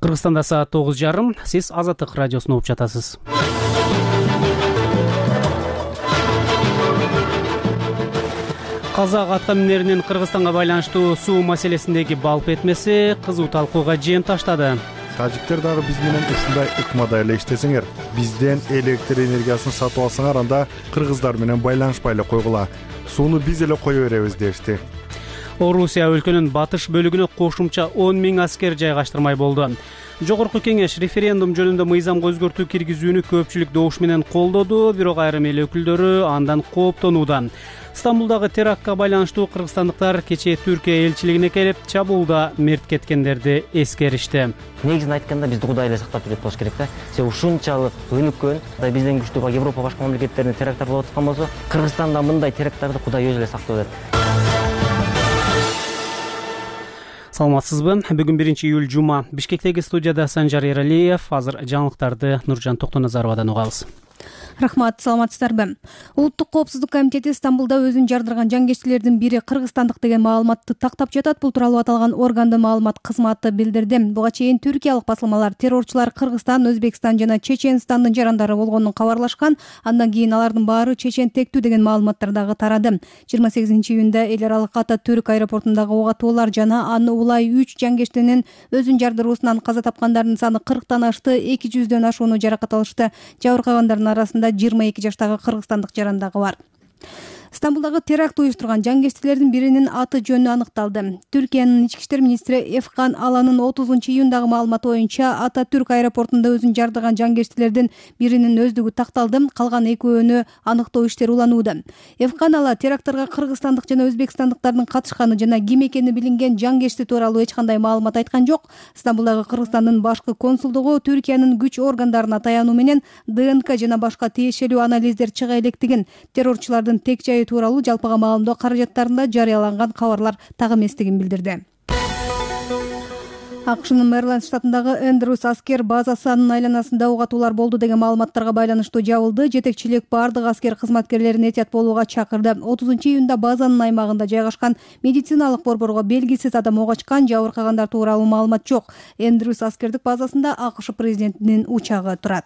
Кыргызстанда саат 9:30. Сиз Азаттык радиосун угуп жатасыз. Казак атка минеринин Кыргызстанга байланыштуу суу маселесиндеги балп этмеси кызуу талкууга жем таштады. Тажиктер дагы биз менен ушундай ыкмада эле иштесеңер, бизден электр энергиясын сатып алсаңар, анда кыргыздар менен байланышпай эле койгула. Сууну биз эле кое беребиз дешти. Орусия өлкөнүн батыш бөлүгүнө кошумча 10 000 аскер жайгаштырмай болду. Жогорку кеңеш референдум жөнүндө мыйзамга өзгөртүү киргизүүнү көпчүлүк добуш менен колдоду, бирок айрым эл өкүлдөрү андан кооптонууда. Стамбулдагы терактка байланыштуу кыргызстандыктар кечээ Түркия элчилигине келип, чабуулда мерт кеткендерди эскеришти. Негизин айтканда бизди Кудай эле сактап жүрөт болуш керек да. Себеби ушунчалык өнүккөн, бизден күчтүү Европа башка мамлекеттеринде теракттар болуп аткан болсо, Кыргызстанда мындай теракттарды Кудай өзү эле сактап берет. Саламатсызбы? Бүгүн 1-июль жума. Бишкектеги студияда Санжар Эралиев. Азыр жаңылыктарды Нуржан Токтоназаровадан угабыз. Рахмат, саламатсыздарбы? Улуттук коопсуздук комитети Стамбулда өзүн жардырган жангечтилердин бири кыргызстандык деген маалыматты тактап жатат. Бул тууралуу аталган органдын маалымат кызматы билдирди. Буга чейин түркиялык басылмалар террорчулар Кыргызстан, Өзбекстан жана Чеченстандын жарандары болгонун кабарлашкан. Андан кийин алардын баары чечен тектүү деген маалыматтар дагы тарады. 28-июнда эл аралык Ататүрк аэропортундагы ок атуулар жана аны улай 3 жангечтинин өзүн жардыруусунан каза тапкандардын саны 40тан ашты, 200дөн ашууну жаракат алышты. Жабыркагандардын арасында 22 жаштагы кыргызстандык жаран дагы бар. Стамбулдагы теракт уюштурган жангечтилердин биринин аты жөнү аныкталды. Түркиянын ички иштер министри Эфкан Аланын 30-июндагы маалыматы боюнча Ататүрк аэропортунда өзүн жардырган жангечтилердин биринин өздүгү такталды, калган экөөнү аныктоо иштери уланууда. Эфкан Ала теракттарга кыргызстандык жана өзбекстандыктардын катышканы жана ким экени билинген жангечти тууралуу эч кандай маалымат айткан жок. Стамбулдагы Кыргызстандын башкы консулдугу Түркиянын күч органдарына таянуу менен ДНК жана башка тиешелүү анализдер чыга электигин, террорчулардын тек жайы тууралуу жалпыга маалымдоо каражаттарында жарыяланган кабарлар так эместигин билдирди. АКШнын Мэриленд штатындагы Эндрюс аскер базасынын айланасында ок атуулар болду деген маалыматтарга байланыштуу жабылды. Жетекчилик бардык аскер кызматкерлерин этият болууга чакырды. 30-июнда базанын аймагында жайгашкан медициналык борборго белгисиз адам ок ачкан, жабыркагандар тууралуу маалымат жок. Эндрюс аскердик базасында АКШ президентинин учагы турат.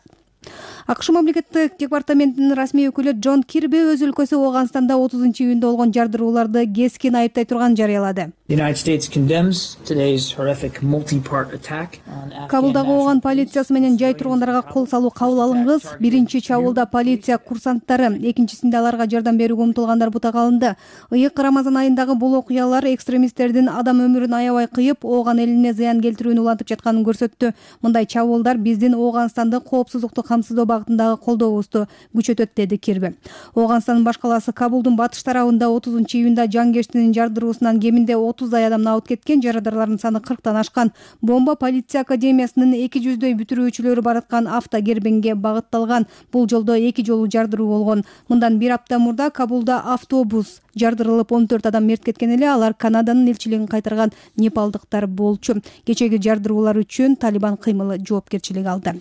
АКШ мамлекеттик департаментинин расмий өкүлү Джон Кирби өз өлкөсү Ооганстанда 30-июнда болгон жардырууларды кескин айыптай турган жарыялады. Кабулдагы Ооган полициясы менен жай тургундарга кол салуу кабыл алынгыз. Биринчи чабуулда полиция курсанттары, экинчисинде аларга жардам берүүгө умтулгандар бутак алынды. Ыйык Рамазан айындагы бул окуялар экстремисттердин адам өмүрүн аябай кыйып, Ооган элине зыян келтирүүнү улантып жатканын көрсөттү. Мындай чабуулдар биздин Ооганстанды коопсуздукту камсыздоо багытындагы колдообузду күчөтөт, деди Кирби. Ооганстандын баш калаасы Кабулдун батыш тарабында 30-июнда жангечтинин жардыруусунан кеминде 30дай адам абыт кеткен, жарадарлардын саны 40тан ашкан. Бомба полиция академиясынын 200дөй бүтүрүүчүлөрү бараткан автокербенге багытталган. Бул жолдо 2 жолу жардыруу болгон. Мындан 1 апта мурда Кабулда автобус жардырылып 14 адам мерт кеткен эле. Алар Канаданын элчилигин кайтарган непалдыктар болчу. Кечеги жардыруулар үчүн Талибан кыймылы жоопкерчилик алды.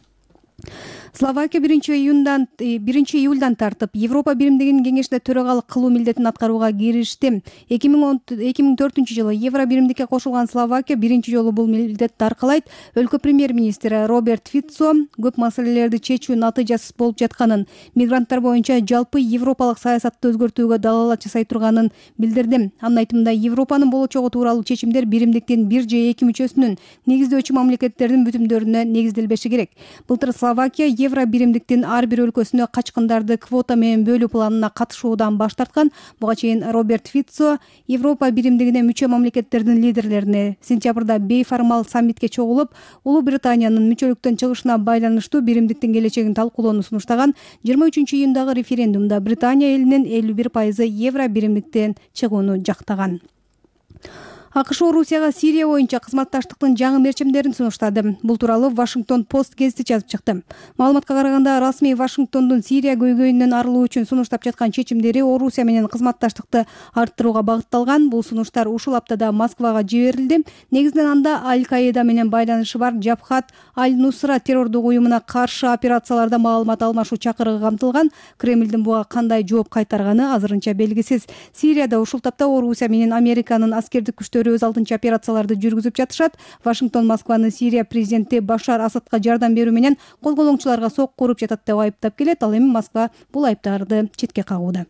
Словакия 1-июлдан тартып Европа биримдигинин кеңешинде төрагалык кылуу милдетин аткарууга киришти. 2004-жылы Евро биримдикке кошулган Словакия биринчи жолу бул милдетти аркалайт. Өлкө премьер-министри Роберт Фицо көп маселелерди чечүү натыйжасыз болуп жатканын, мигранттар боюнча жалпы европалык саясатты өзгөртүүгө далаалат жасай турганын билдирди. Анын айтымында Европанын болочогу тууралуу чечимдер биримдиктин 1 же 2 мүчөсүнүн негиздөөчү мамлекеттердин бүтүмдөрүнө негизделбеши керек. Былтыр Словакия Евро биримдиктин ар бир өлкөсүнө качкындарды квота менен бөлүү планына катышуудан баш тарткан. Буга чейин Роберт Фицо Европа биримдигине мүчө мамлекеттердин лидерлерине сентябрда бейформал саммитке чогулуп, Улуу Британиянын мүчөлүктөн чыгышына байланыштуу биримдиктин келечегин талкуулоону сунуштаган. 23-июндагы референдумда Британия элинин 51% Евро биримдиктен чыгууну жактаган. АКШ Орусияга Сирия боюнча кызматташтыктын жаңы мерчимдерин сунуштады. Бул тууралуу Вашингтон Пост гезити жазып чыкты. Маалыматка караганда, расмий Вашингтондун Сирия көйгөйүнөн арылуу үчүн сунуштап жаткан чечимдери Орусия менен кызматташтыкты арттырууга багытталган. Бул сунуштар ушул аптада Москвага жиберилди. Негизинен анда Аль-Каида менен байланышы бар Жабхат Аль-Нусра террордук уюмуна каршы операцияларда маалымат алмашуу чакырыгы камтылган. Кремлдин буга кандай жооп кайтарганы азырынча белгисиз. Сирияда ушул тапта Орусия менен Американын аскердик күчтөрү өз алдынча операцияларды жүргүзүп жатышат. Вашингтон Москваны Сирия президенти Башар Асадка жардам берүү менен козголоңчуларга сокку уруп жатат деп айыптап келет. Ал эми Москва бул айыптарды четке кагууда.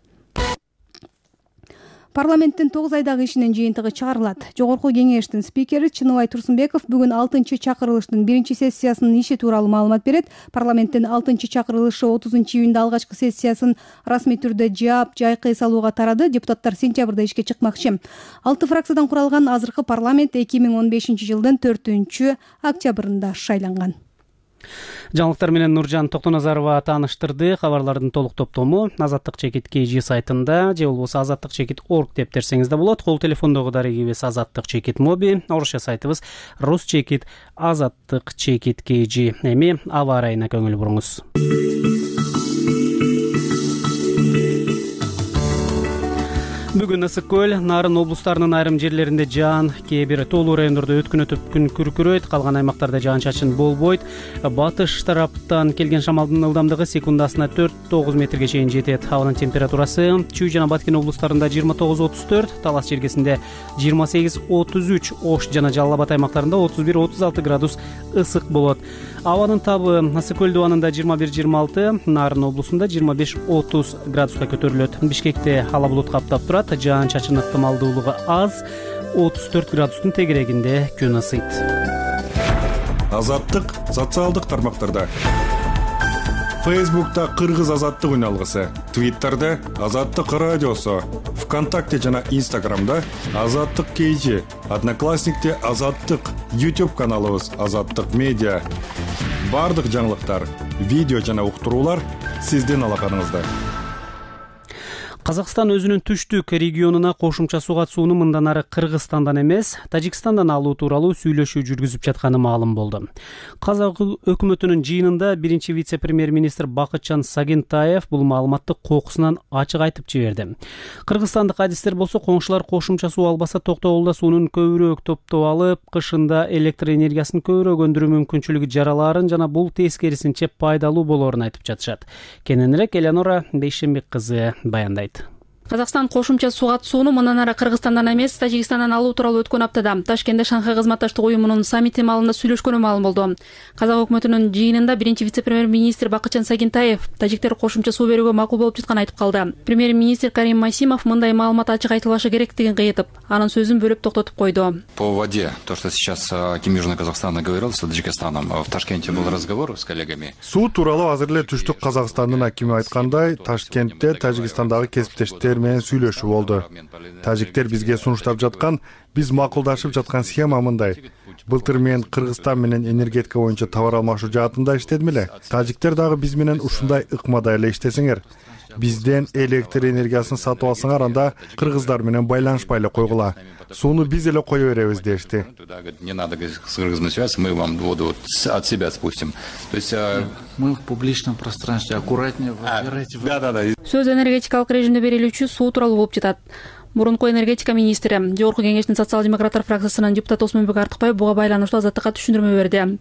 Парламенттин 9 айдагы ишинин жыйынтыгы чыгарылат. Жогорку кеңештин спикери Чыныбай Турсунбеков бүгүн 6 чакырылыштын 1-сессиясынын иши тууралуу маалымат берет. Парламенттин 6 чакырылышы 30-июнда алгачкы сессиясын расмий түрдө жаап, жайкы эс алууга тарады. Депутаттар сентябрда ишке чыкмакчы. 6 фракциядан куралган азыркы парламент 2015-жылдын 4-октябрында шайланган. Жаңылыктар менен Нуржан Токтоназарова тааныштырды. Кабарлардын толук топтому Азаттык чекит KG сайтында же болбосо azattikchekit.org деп терсеңиз да болот. Кол телефондогу дарегибиз Азаттык чекит моби, орусча сайтыбыз Рус чекит Азаттык чекит KG. Эми аба ырайына көңүл буруңуз. Бүгүн ысык көл, Нарын облустарынын айрым жерлеринде жаан, кээ бир тоолуу райондордо өткүн өтүп күн күркүрөйт, калган аймактарда жаан-чачын болбойт. Батыш тараптан келген шамалдын ылдамдыгы секундасына 4-9 метрге чейин жетет. Абанын температурасы Чүй жана Баткен облустарында 29-34, Талас жергесинде 28-33, Ош жана Жалал Абад аймактарында 31-36 градус ысык болот. Абанын табы Ысык көл дубанында 21-26, Нарын облусунда 25-30 градуска көтөрүлөт. Бишкекте ала булут каптап турат. Жаан-чачын ыктымалдуулугу аз, 34 градустун тегерегинде күн ысыйт. Азаттык социалдык тармактарда. Фейсбукта Кыргыз азаттык үн алгысы, Твиттерде Азаттык радиосу, ВКонтакте жана Инстаграмда Азаттык KG, Одноклассникте Азаттык, YouTube каналыбыз Азаттык медиа. Бардык жаңылыктар, видео жана уктуруулар сиздин алаканыңызда. Казакстан өзүнүн түштүк регионуна кошумча суу катышууну мындан ары Кыргызстандан эмес, Тажикстандан алуу тууралуу сүйлөшүү жүргүзүп жатканы маалым болду. Казак өкмөтүнүн жыйынында биринчи вице-премьер-министр Бакытжан Сагентаев бул маалыматты кокусунан ачык айтып жиберди. Кыргызстандык адистер болсо коңшулар кошумча суу албаса Токтогулда суунун көбүрөөк топтоп алып, кышында электр энергиясын көбүрөөк өндүрүү мүмкүнчүлүгү жаралаарын жана бул тескерисинче пайдалуу болоорун айтып жатышат. Кененирээк Элеонора Бейшембек кызы баяндайт. Казакстан кошумча суу катышууну мындан ары Кыргызстандан эмес, Тажикстандан алуу тууралуу өткөн аптада Ташкентте Шанхай кызматташтык уюмунун саммити маалында сүйлөшкөнү маалым болду. Казак өкмөтүнүн жыйынында биринчи вице-премьер-министр Бакытжан Сагентаев тажиктер кошумча суу берүүгө макул болуп жатканын айтып калды. Премьер-министр Карим Масимов мындай маалымат ачык айтылышы керектигин кыйытып, анын сөзүн бөлүп токтотуп койду. По воде, то, что сейчас Ким Южный Казахстан говорил с Таджикистаном, в Ташкенте был разговор с коллегами. Суу тууралуу азыр эле түштүк Казакстандын акими айткандай, Ташкентте Тажикстандагы кесиптештер менен сүйлөшүү болду. Тажиктер бизге сунуштап жаткан, биз макулдашып жаткан схема мындай. Былтыр мен Кыргызстан менен энергетика боюнча товар алмашуу жаатында иштедим эле. Тажиктер дагы биз менен ушундай ыкмада эле иштесеңер. Бизден электр энергиясын сатып алсаңар, анда кыргыздар менен байланышпай эле койгула. Сууну биз эле кое беребиз дешти. Не надо с Кыргызом связаться, мы вам воду от себя спустим. То есть мы в публичном пространстве, аккуратнее выбирайте. Да. Сөз энергетикалык режимде берилүүчү суу тууралуу болуп жатат. Мурунку энергетика министри, Жогорку кеңештин социал-демократтар фракциясынын депутаты Осмонбек Артыкбаев буга байланыштуу Азаттыкка түшүндүрмө берди.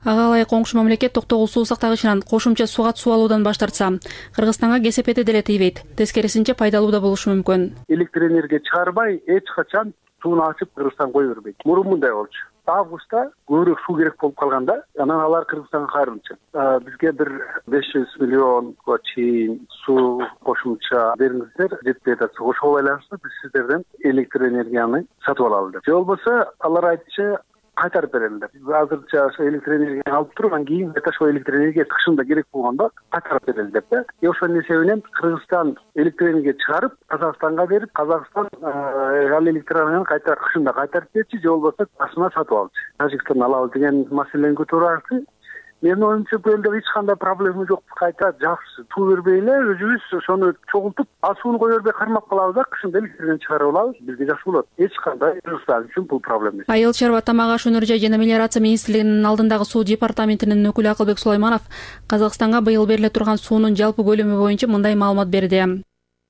Ага ылайык коңшу мамлекет Токтогул суу сактагычынан кошумча суу катышуу алуудан баш тартса, Кыргызстанга кесепети деле тийбейт. Тескерисинче пайдалуу да болушу мүмкүн. Электр энергия чыгарбай, эч качан сууну ачып Кыргызстан кое бербейт. Мурун мындай болчу. Августта көбүрөөк суу керек болуп калганда, анан алар Кыргызстанга кайрылчу. Бизге бир 500 миллионго чейин суу кошумча бериңиздер, жетпей атат. Ошого байланыштуу биз сиздерден электр энергияны сатып алалы деп. Же болбосо алар айтчу кайтарып берелер. Азырча электр энергияны алып туруп, анан кийин ошо электр энергия кышында керек болгондо кайтарып берели деп да. Ошонун эсебинен Кыргызстан электр энергия чыгарып, Казакстанга берип, Казакстан ал электр энергияны кайта кышында кайтарып берчи, же болбосо басына сатып алчу. Тажикстан алабыз деген маселени көтөрүп. Менин оюмча бул элде эч кандай проблема жок. Кайта жакшы суу бербей эле өзүбүз ошону чогултуп, сууну кое бербей кармап калабыз да, кышында электрден чыгарып алабыз. Бизге жакшы болот. Эч кандай Кыргызстан үчүн бул проблема эмес. Айыл чарба, тамак аш өнөр жай жана мелиорация министрлигинин алдындагы суу департаментинин өкүлү Акылбек Сулайманов Казакстанга быйыл бериле турган суунун жалпы көлөмү боюнча мындай маалымат берди.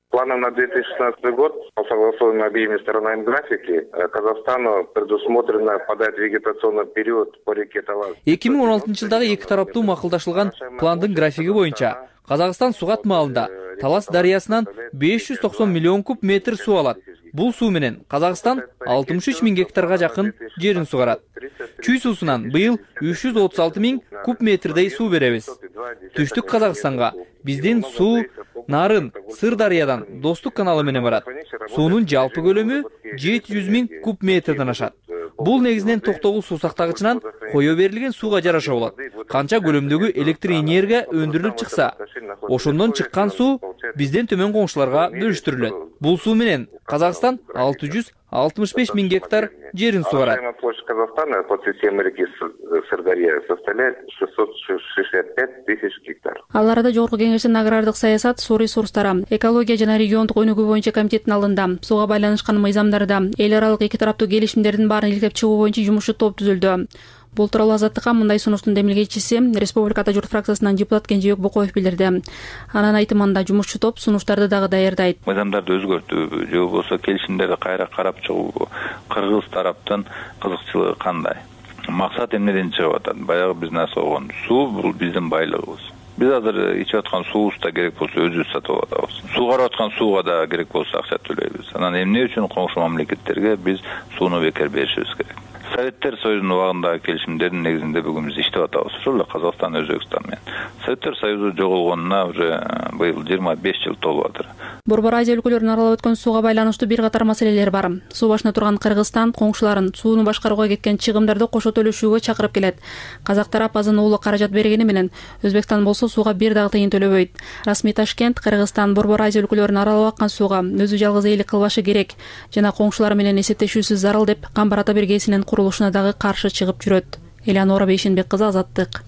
Планом на 2016 год, по согласованию обеими сторонами графики, Казахстану предусмотрено подать вегетационный период по реке Талас. 2016-жылдагы эки тараптуу макулдашылган пландын графиги боюнча Казакстан суу катмалында Талас дарыясынан 590 миллион куб метр суу алат. Бул суу менен Казакстан 63 миң гектарга жакын жерин сугарат. Чүй суусунан быйыл 336 миң куб метрдей суу беребиз. Түштүк Казакстанга биздин суу Нарын Сырдарыядан Достук каналы менен барат. Суунун жалпы көлөмү 700 миң куб метрден ашат. Бул негизинен Токтогул суу сактагычынан кое берилген сууга жараша болот. Канча көлөмдөгү электр энергия өндүрүлүп чыкса, ошондон чыккан суу бизден төмөн коңшуларга бөлүштүрүлөт. Бул суу менен Казакстан 665 миң гектар жерин сугарат. Площадь Казахстана под системой реки Сырдарья составляет 665 тысяч гектар. Ал арада Жогорку Кеңештин агрардык саясат, суу ресурстары, экология жана региондук өнүгүү боюнча комитеттин алдында сууга байланышкан мыйзамдарда эл аралык эки тараптуу келишимдердин баарын илгеп чыгуу боюнча жумушчу топ түзүлдү. Бул тууралуу Азаттыкка мындай сунуштун демилгечиси Республика Ата журт фракциясынан депутат Кенжебек Бокоев билдирди. Анын айтымында жумушчу топ сунуштарды дагы даярдайт. Мыйзамдарды өзгөртүүбү же болбосо келишимдерди кайра карап чыгуубу, кыргыз тараптын кызыкчылыгы кандай? Максат эмнеден чыгып атат? Баягы биз насогон суу бул биздин байлыгыбыз. Биз азыр ичип аткан суубузда керек болсо өзүбүз сатып атабыз. Сугарып аткан сууга да керек болсо акча төлөйбүз. Анан эмне үчүн коңшу мамлекеттерге биз сууну бекер беришибиз керек? Советтер Союзунун убагындагы келишимдердин негизинде бүгүн биз иштеп атабыз. Ошол эле Казакстан, Өзбекстан менен. Советтер Союзу жоголгонуна уже быйыл 25 жыл толуп атыр. Борбор Азия өлкөлөрүн аралап өткөн сууга байланыштуу бир катар маселелер бар. Суу башына турган Кыргызстан коңшуларын сууну башкарууга кеткен чыгымдарды кошо төлөшүүгө чакырып келет. Казак тарап азын уулу каражат бергени менен Өзбекстан болсо сууга бир дагы тыйын төлөбөйт. Расмий Ташкент Кыргызстан Борбор Азия өлкөлөрүн аралап аккан сууга өзү жалгыз ээлик кылбашы керек жана коңшулары менен эсептешүүсүз зарыл деп Камбар ата биргесинин курулушуна дагы каршы чыгып жүрөт. Элеонора Бейшенбек кызы, Азаттык.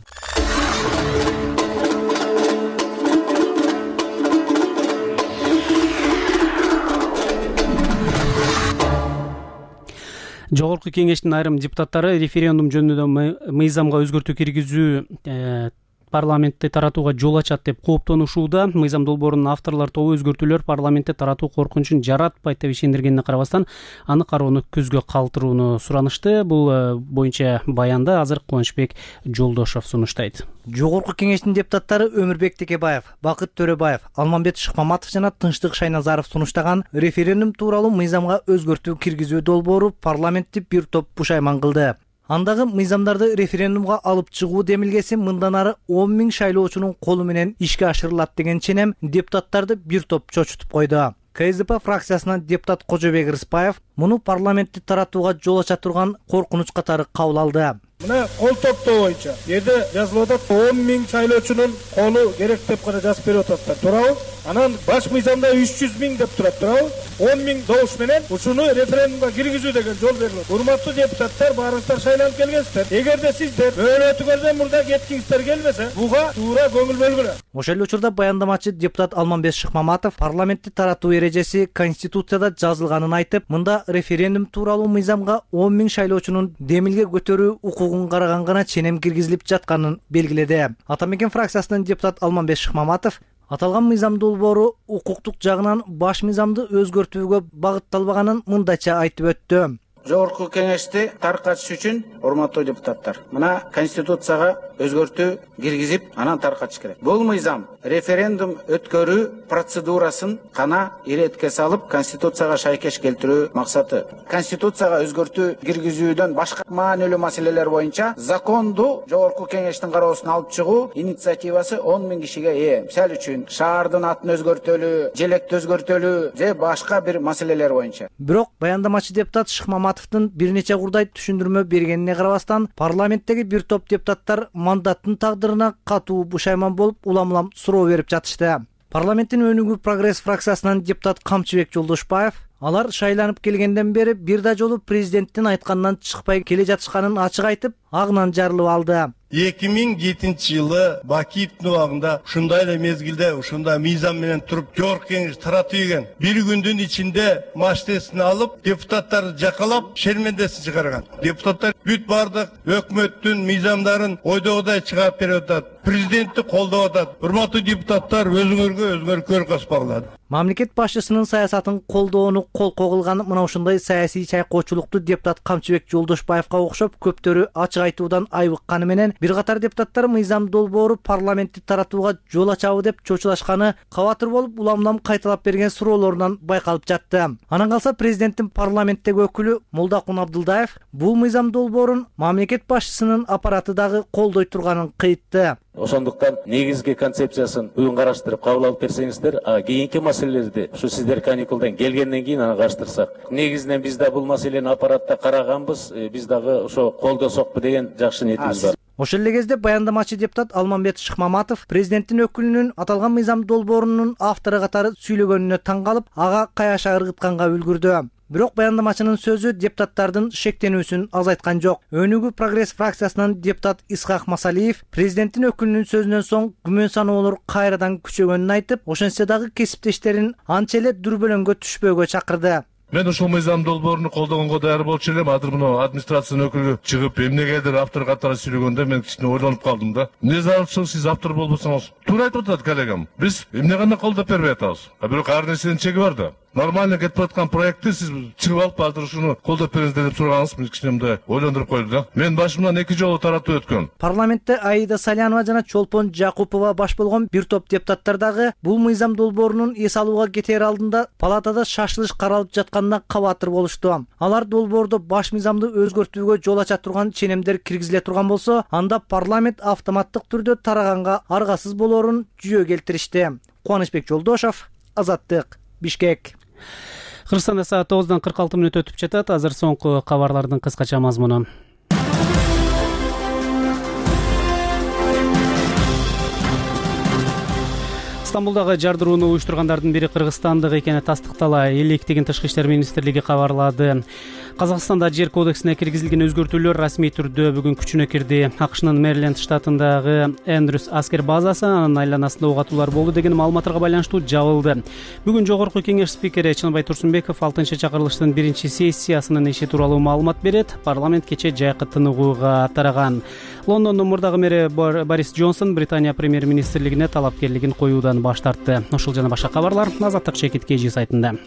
Жогорку Кеңештин айрым депутаттары референдум жөнүндө мыйзамга өзгөртүү киргизүү парламентте таратууга жол ачат деп кооптонушууда. Мыйзам долбоорунун авторлор тобу өзгөртүүлөр парламентте таратуу коркунучун жаратпайт деп ишендиргенине карабастан аны кароону көзгө калтырууну суранышты. Бул боюнча баянды азыр Кубанычбек Жолдошов сунуштайт. Жогорку Кеңештин депутаттары Өмүрбек Текебаев, Бакыт Төрөбаев, Алмамбет Шыкмаматов жана Тынчтык Шайназаров сунуштаган референдум тууралуу мыйзамга өзгөртүү киргизүү долбоору парламентти бир топ пушайман кылды. Андагы мыйзамдарды референдумга алып чыгуу демилгеси мындан ары 10 миң шайлоочунун колу менен ишке ашырылат деген ченем депутаттарды бир топ чочутуп койду. КСДП фракциясынан депутат Кожобек Рыспаев муну парламентти таратууга жол ача турган коркунуч катары кабыл алды. Мына кол топтоо боюнча жерде жазылып атат 10 миң шайлоочунун колу керек деп гана жазып берип атасыздар. Туурабы? Анан баш мыйзамда 300 миң деп турат. Туурабы? 10 миң добуш менен ушуну референдумга киргизүү деген жол берилет. Урматтуу депутаттар, баарыңыздар шайланып келгенсиздер. Эгерде сиздер мөөнөтүңөрдөн мурда кеткиңиздер келбесе, буга туура көңүл бөлгүлө. Ошол эле учурда баяндамачы депутат Алмамбет Шыкмаматов парламентти таратуу эрежеси Конституцияда жазылганын айтып, мында референдум тууралуу мыйзамга 10 миң шайлоочунун демилге көтөрүү укугун караган гана ченем киргизилип жатканын белгиледи. Атамекен фракциясынын депутат Алмамбет Шыкмаматов аталган мыйзам долбоору укуктук жагынан баш мыйзамды өзгөртүүгө багытталбаганын мындайча айтып өттү. Жогорку Кеңешти таркатыш үчүн урматтуу депутаттар, мына Конституцияга өзгөртүү киргизип, анан таркатыш керек. Бул мыйзам референдум өткөрүү процедурасын гана иретке салып, Конституцияга шайкеш келтирүү максаты. Конституцияга өзгөртүү киргизүүдөн башка маанилүү маселелер боюнча законду Жогорку Кеңештин кароосуна алып чыгуу инициативасы 10 миң кишиге ээ. Мисалы үчүн шаардын атын өзгөртөлүү, желекти өзгөртөлүү же башка бир маселелер боюнча. Бирок баяндамачы депутат Шыкмаматовдун бир нече курдай түшүндүрмө бергенине карабастан, парламенттеги бир топ депутаттар мандаттын тагдырына катуу бушайман болуп, улам-улам суроо берип жатышты. Парламенттин өнүгүү прогресс фракциясынан депутат Камчыбек Жолдошбаев алар шайланып келгенден бери бир да жолу президенттин айтканынан чыкпай келе жатышканын ачык айтып, агынан жарылып алды. 2007 жылы Бакиевдин убагында ушундай эле мезгилде ушундай мыйзам менен туруп Жогорку Кеңеш таратып ийген. Бир күндүн ичинде маштесин алып, депутаттарды жакалап, шермендесин чыгарган. Депутаттар бүт бардык өкмөттүн мыйзамдарын ойдогудай чыгарып берип атат. Президентти колдоп атат. Урматтуу депутаттар, өзүңөргө көрө каспагыла. Мамлекет башчысынын саясатын колдоону кол когулган мына ушундай саясий чайкоочулукту депутат Камчыбек Жолдошбаевга окшоп көптөрү ачык ачык айтуудан айбыкканы менен бир катар депутаттар мыйзам долбоору парламентти таратууга жол ачабы деп чочулашканы кабатыр болуп улам кайталап берген суроолорунан байкалып жатты. Анан калса президенттин парламенттеги өкүлү Молдокун Абдылдаев бул мыйзам долбоорун мамлекет башчысынын аппараты дагы колдой турганын кыйтты. Ошондуктан негизги концепциясын бүгүн караштырып кабыл алып берсеңиздер, кийинки маселелерди ушу сиздер каникулдан келгенден кийин аны караштырсак. Негизинен биз да бул маселени аппаратта караганбыз, биз дагы ошо колдосокпу деген жакшы ниетибиз бар. Ошол эле кезде баяндамачы депутат Алмамбет Шыкмаматов президенттин өкүлүнүн аталган мыйзам долбоорунун автору катары сүйлөгөнүнө таң калып, ага каяша ыргытканга үлгүрдү. Бирок баяндамачынын сөзү депутаттардын шектенүүсүн азайткан жок. Өнүгүү прогресс фракциясынан депутат Исхак Масалиев президенттин өкүлүнүн сөзүнөн соң күмөн саноолор кайрадан күчөгөнүн айтып, ошентсе дагы кесиптештерин анча эле дүрбөлөңгө түшпөөгө чакырды. Мен ушул мыйзам долбоорун колдогонго даяр болчу элем. Азыр мына администрациянын өкүлү чыгып эмнегедир автор катары сүйлөгөндө мен кичине ойлонуп калдым да. Эмне зарыл сиз автор болбосоңуз? Туура айтып атат коллегам. Биз эмне гана колдоп бербей атабыз. Бирок ар нерсенин чеги бар да. Нормально кетип аткан проектти сиз чыгып алып азыр ушуну колдоп бериңиздер деп сураганыңыз мени кичине мындай ойлондуруп койду да. Мен башымдан 2 жолу таратуу өткөн. Парламентте Аида Салянова жана Чолпон Жакупова баш болгон бир топ депутаттар дагы бул мыйзам долбоорунун эс алууга кетер алдында палатада шашылыш каралып жатканына кабатыр болушту. Алар долбоордо баш мыйзамды өзгөртүүгө жол ача турган ченемдер киргизиле турган болсо, анда парламент автоматтык түрдө тараганга аргасыз болоорун жүйө келтиришти. Кубанычбек Жолдошов, Азаттык, Бишкек. Кыргызстанда саат 9:46 өтүп жатат. Азыр соңку кабарлардын кыскача мазмуну. Стамбулдагы жардырууну уюштургандардын бири кыргызстандык экени тастыктала электигин Тышкы иштер министрлиги кабарлады. Казакстанда жер кодексине киргизилген өзгөртүүлөр расмий түрдө бүгүн күчүнө кирди. АКШнын Мэриленд штатындагы Эндрюс аскер базасы анын айланасында угатуулар болду деген маалыматтарга байланыштуу жабылды. Бүгүн Жогорку кеңеш спикери Чынбай Турсунбеков 6-чакырылыштын 1-сессиясынын иши тууралуу маалымат берет. Парламент кече жайкы тыныгууга тараган. Лондондун мурдагы мэри Борис Джонсон Британия премьер-министрлигине талапкерлигин коюудан баш тартты. Ошол жана башка кабарлар Азаттык ЧКТ сайтында.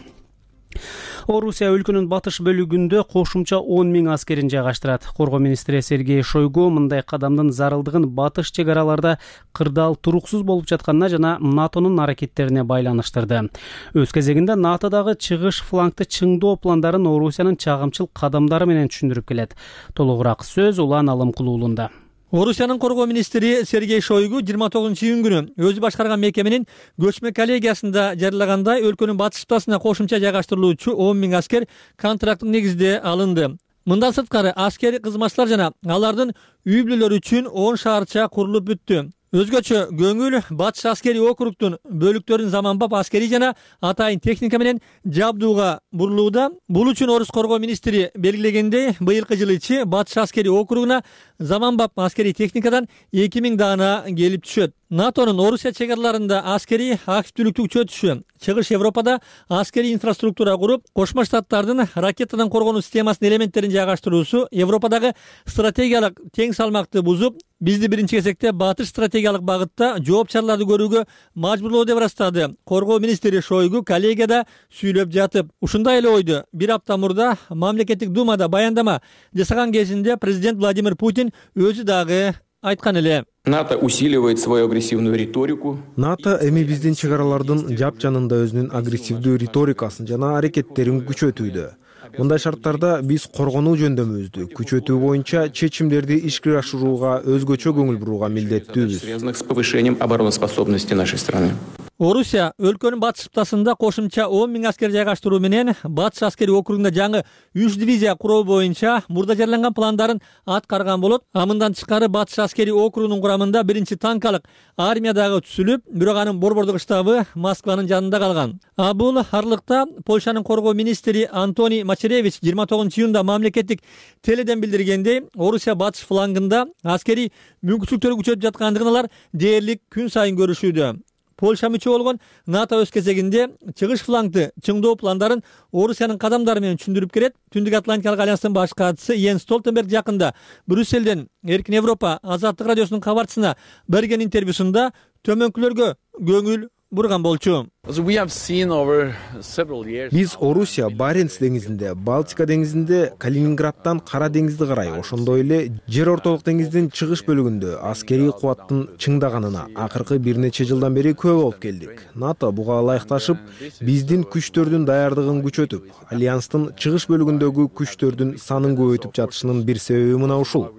Орусия өлкөнүн батыш бөлүгүндө кошумча 10 000 аскерин жайгаштырат. Коргоо министри Сергей Шойгу мындай кадамдын зарылдыгын батыш чек араларда кырдаал туруксуз болуп жатканына жана НАТОнун аракеттерине байланыштырды. Өз кезегинде НАТО дагы чыгыш флангты чыңдоо пландарын Орусиянын чагымчыл кадамдары менен түшүндүрүп келет. Толугураак сөз Улан Алымкулуулунда. Орусиянын коргоо министри Сергей Шойгу 29-июнь күнү өзү башкарган мекеменин көчмө коллегиясында жарыялагандай өлкөнүн батыш птасына кошумча жайгаштырылуучу 10 000 аскер контракттык негизде алынды. Мындан сырткары аскери кызматчылар жана алардын үй бүлөлөрү үчүн 10 шаарча курулуп бүттү. Өзгөчө көңүл батыш аскери округтун бөлүктөрүн заманбап аскери жана атайын техника менен жабдууга бурулууда. Бул үчүн Орус коргоо министри белгилегендей, быйылкы жылы ичи батыш аскери округуна заманбап аскери техникадан 2000 даана келип түшөт. НАТОнун Орусия чек араларында аскери активдүүлүктү күчөтүшү, Чыгыш Европада аскери инфраструктура куруп, Кошмо Штаттардын ракетадан коргонуу системасынын элементтерин жайгаштыруусу Европадагы стратегиялык тең салмакты бузуп, бизди биринчи кезекте батыш стратегиялык багытта жооп чараларды көрүүгө мажбурлоо деп ырастады. Коргоо министри Шойгу коллегияда сүйлөп жатып, ушундай эле ойду бир апта мурда мамлекеттик думада баяндама жасаган кезинде президент Владимир Путин өзү дагы айткан эле. НАТО усиливает свою агрессивную риторику. НАТО эми биздин чек аралардын жап жанында өзүнүн агрессивдүү риторикасын жана аракеттерин күчөтүүдө. Мындай шарттарда биз коргонуу жөндөмүбүздү күчөтүү боюнча чечимдерди ишке ашырууга өзгөчө көңүл бурууга милдеттүүбүз. Связанных с повышением обороноспособности нашей страны. Орусия өлкөнүн батыш птасында кошумча 10 000 аскер жайгаштыруу менен батыш аскери округунда жаңы 3 дивизия куруу боюнча мурда жарыяланган пландарын аткарган болот. Мындан тышкары батыш аскери округунун курамында 1-танкалык армия дагы түзүлүп, бирок анын борбордук штабы Москванын жанында калган. Бул аралыкта Польшанын коргоо министри Антоний Мачеревич 29-июнда мамлекеттик теледен билдиргендей, Орусия батыш флангында аскери мүмкүнчүлүктөрү күчөтүп жаткандыгын алар дээрлик күн сайын көрүшүүдө. Польша мүчө болгон НАТО өз кезегинде чыгыш флангды чыңдоо пландарын Орусиянын кадамдары менен түшүндүрүп келет. Түндүк Атлантикалык альянстын баш катчысы Йенс Столтенберг жакында Брюсселден Эркин Европа Азаттык радиосунун кабарчысына берген интервьюсунда төмөнкүлөргө көңүл бурган болчу. Биз Орусия Баренц деңизинде, Балтика деңизинде, Калининградтан Кара деңизди карай, ошондой эле жер ортолук деңиздин чыгыш бөлүгүндө аскерий кубаттын чыңдаганына акыркы бир нече жылдан бери күбө болуп келдик. НАТО буга ылайыкташып, биздин күчтөрдүн даярдыгын күчөтүп, альянстын чыгыш бөлүгүндөгү күчтөрдүн санын көбөйтүп жатышынын бир себеби мына ушул.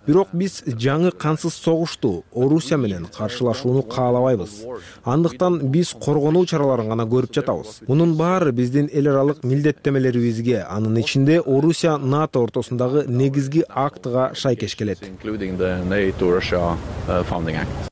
Бирок биз жаңы кансыз согушту Орусия менен каршылашууну каалабайбыз. Андыктан биз коргонуу чараларын гана көрүп жатабыз. Мунун баары биздин эл аралык милдеттемелерибизге, анын ичинде Орусия НАТО ортосундагы негизги актыга шайкеш келет.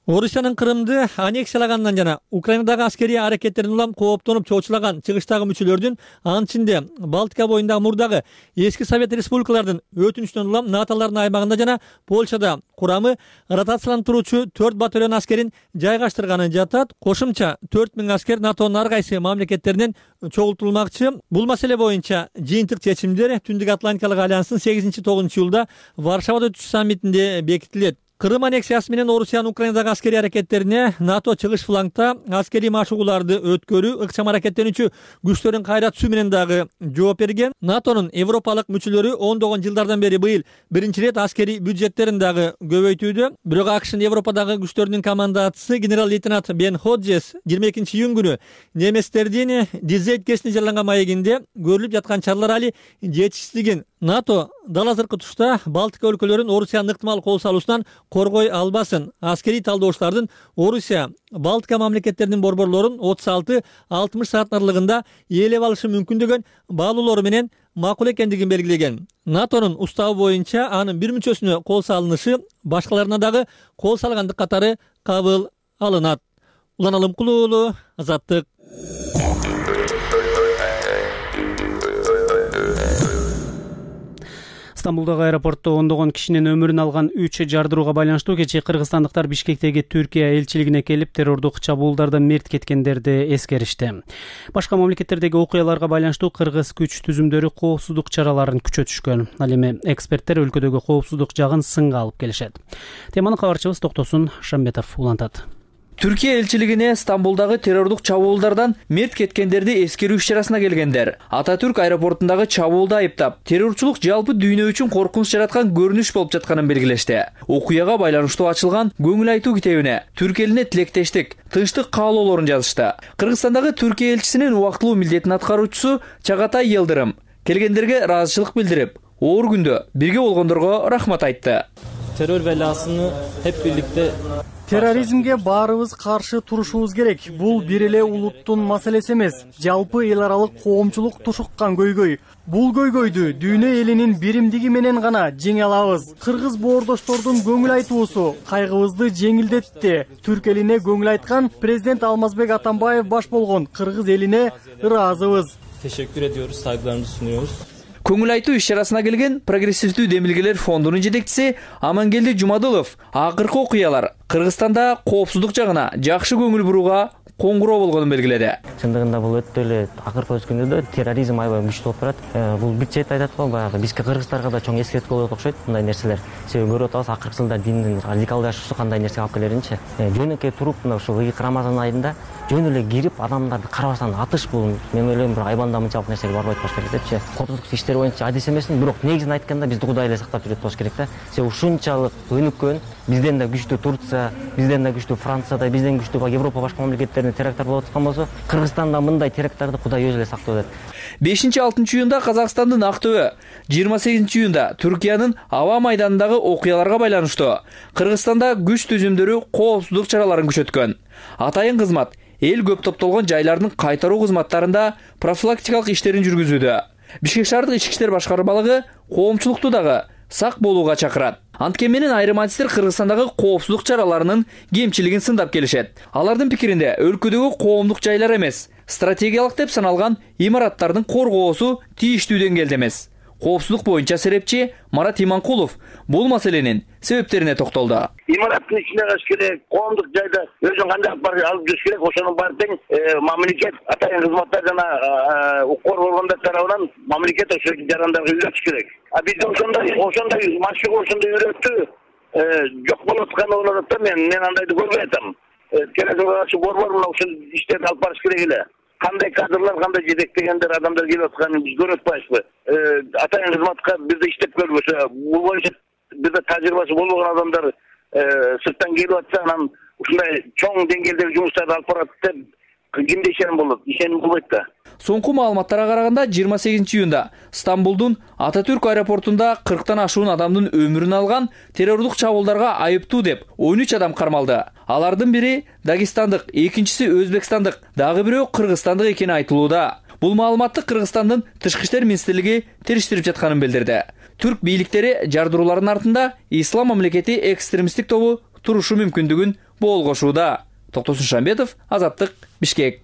Орусиянын Крымды аннексиялагандан жана Украинадагы аскерий аракеттерин улам кооптонуп чоочулаган чыгыштагы мүчөлөрдүн, анын ичинде Балтика боюндагы мурдагы эски Совет республикалардын өтүнүчүнөн улам НАТОлордун аймагында жана Польшада курамы ротациялантыруучу 4 батальон аскерин жайгаштырганын жатат. Кошумча 4000 аскер НАТОнун ар кайсы мамлекеттеринен чогултулмакчы. Бул маселе боюнча жыйынтык чечимдер Түндүк Атлантикалык альянстын 8-9 июлда Варшавада өтүүчү саммитинде бекитилет. Крым аннексиясы менен Орусиянын Украинадагы аскерий аракеттерине НАТО чыгыш флангда аскерий машыгууларды өткөрүү, ыкчам аракеттенүүчү күчтөрүн кайра түсүү менен дагы жооп берген. НАТОнун европалык мүчөлөрү ондогон жылдардан бери быйыл биринчи ирет аскерий бюджеттерин дагы көбөйтүүдө. Бирок АКШнын Европадагы күчтөрүнүн командачысы генерал-лейтенант Бен Ходжес 22 июнь күнү немецтердин Дизельт кесине жараланган маегинде көрүлүп жаткан чаралар али жетишсиздигин, НАТО дал азыркы тушта Балтика өлкөлөрүн Орусиянын ыктымал кол салуусунан коргой албасын. Аскерий талдоочулардын Орусия Балтика мамлекеттеринин борборлорун 36-60 саат аралыгында ээлеп алышы мүмкүн деген баалоолору менен макул экендигин белгилеген. НАТОнун уставы боюнча анын бир мүчөсүнө кол салынышы башкаларына дагы кол салгандык катары кабыл алынат. Улан Алымкулуу уулу, Азаттык. Стамбулдагы аэропортто ондогон кишинин өмүрүн алган 3 жардырууга байланыштуу кечээ кыргызстандыктар Бишкектеги Түркия элчилигине келип, террордук чабуулдардан мерт кеткендерди эскеришти. Башка мамлекеттердеги окуяларга байланыштуу кыргыз күч түзүмдөрү коопсуздук чараларын күчөтүшкөн. Ал эми эксперттер өлкөдөгү коопсуздук жагын сынга алып келишет. Теманы кабарчыбыз Токтосун Шамбетов улантат. Түркия элчилигине Стамбулдагы террордук чабуулдардан мерт кеткендерди эскерүү иш-чарасына келгендер Ататүрк аэропортундагы чабуулду айыптап, террорчулук жалпы дүйнө үчүн коркунуч жараткан көрүнүш болуп жатканын белгилешти. Окуяга байланыштуу ачылган көңүл айтуу китебине түрк элине тилектештик, тынчтык каалоолорун жазышты. Кыргызстандагы Түркия элчисинин убактылуу милдетин аткаруучусу Чагатай Йылдырым келгендерге ыраазычылык билдирип, оор күндө бирге болгондорго рахмат айтты. Terör belasını hep birlikte Терроризмге баарыбыз каршы турушубуз керек. Бул бир эле улуттун маселеси эмес, жалпы эл аралык коомчулук тушуккан көйгөй. Бул көйгөйдү дүйнө элинин биримдиги менен гана жеңе алабыз. Кыргыз боордоштордун көңүл айтуусу кайгыбызды жеңилдетти. Түрк элине көңүл айткан президент Алмазбек Атамбаев баш болгон кыргыз элине ыраазыбыз. Teşekkür ediyoruz, saygılarımızı sunuyoruz. Көңүл айтуу иш-чарасына келген Прогрессивдүү демилгелер фондунун жетекчиси Амангелди Жумадылов акыркы окуялар Кыргызстанда коопсуздук жагына жакшы көңүл бурууга коңгуроо болгонун белгиледи. Чындыгында бул өтө эле акыркы өскөндө терроризм аябай күчтүү болуп барат. Бул бир чети айтат го, баягы бизге кыргыздарга да чоң эскертүү болот окшойт мындай нерселер. Себеби көрүп атабыз акыркы жылда диндин радикалдашуусу кандай нерсеге алып келеринчи. Жөнөкөй туруп мына ушул ыйык Рамазан айында жөн эле кирип адамдарды карабастан атыш бул мен ойлойм бир айбанда мынчалык нерсеге барбайт болуш керек депчи. Коопсуздук иштери боюнча адис эмесмин, бирок негизин айтканда бизди Кудай эле сактап жүрөт болуш керек да. Себеби ушунчалык өнүккөн, бизден да күчтүү Турция, бизден да күчтүү Францияда, бизден күчтүү Европа башка мамлекеттеринде теракттар болуп аткан болсо, Кыргызстанда мындай теракттарды Кудай өзү эле сактап атат. 5-6 июнда Казакстандын Актөбө, 28 июнда Түркиянын аба майданындагы окуяларга байланыштуу Кыргызстанда күч түзүмдөрү коопсуздук чараларын күчөткөн. Атайын кызмат эл көп топтолгон жайлардын кайтаруу кызматтарында профилактикалык иштерин жүргүзүүдө. Бишкек шаардык ички иштер башкармалыгы коомчулукту дагы сак болууга чакырат. Анткени менен айрым адистер Кыргызстандагы коопсуздук чараларынын кемчилигин сындап келишет. Алардын пикиринде өлкөдөгү коомдук жайлар эмес, стратегиялык деп саналган имараттардын коргоосу тийиштүү деңгээлде эмес. Коопсуздук боюнча серепчи Марат Иманкулов бул маселенин себептерине токтолду. Имараттын ичинде калыш керек, коомдук жайда өзүн кандай алып жүрүш керек, ошонун баары тең мамлекет атайын кызматтар жана укук органдар тарабынан мамлекет ошо жарандарга үйрөтүш керек. Бизде ошондой машыгуу ошондой үйрөтүү жок болуп атканы болот да, мен андайды көрбөй атам. терроризмге каршы борбор мына ушул иштерди алып барыш керек эле. Кандай кадрлар, кандай жетектегендер адамдар келип атканын биз көрүп атпайбызбы? Атайын кызматка бизде иштеп көрбөсө, бул боюнча бизде тажрыйбасы болбогон адамдар сырттан келип атса, анан ушундай чоң деңгээлдеги жумуштарды алып барат деп кимде ишеним болот? Ишеним болбойт да. Соңку маалыматтарга караганда 28-июнда Стамбулдун Ататүрк аэропортунда 40тан ашуун адамдын өмүрүн алган террордук чабуулдарга айыптуу деп 13 адам кармалды. Алардын бири Дагестандык, экинчиси Өзбекстандык, дагы бирөө Кыргызстандык экени айтылууда. Бул маалыматты Кыргызстандын Тышкы иштер министрлиги териштирип жатканын билдирди. Түрк бийликтери жардыруулардын артында Ислам мамлекети экстремисттик тобу турушу мүмкүндүгүн боол кошууда. Токтосун Шамбетов, Азаттык, Бишкек.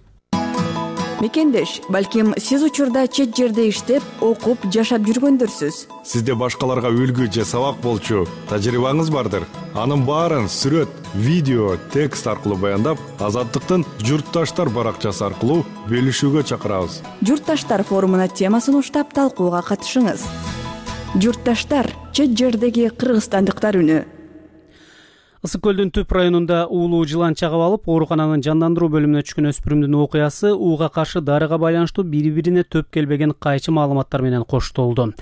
Мекендеш, балким сиз учурда чет жерде иштеп, окуп, жашап жүргөндөрсүз. Сизде башкаларга үлгү же сабак болчу тажрыйбаңыз бардыр. Анын баарын сүрөт, видео, текст аркылуу баяндап, Азаттыктын Журтташтар баракчасы аркылуу бөлүшүүгө чакырабыз. Журтташтар форумуна темасын уштап талкууга катышыңыз. Журтташтар, чет жердеги кыргызстандыктар үнү. Ысык көлдүн Түп районунда уулуу жылан чагып алып, оорукананын жандандыруу бөлүмүнө түшкөн өспүрүмдүн окуясы ууга каршы дарыга байланыштуу бири-бирине төп келбеген кайчы маалыматтар менен коштолду.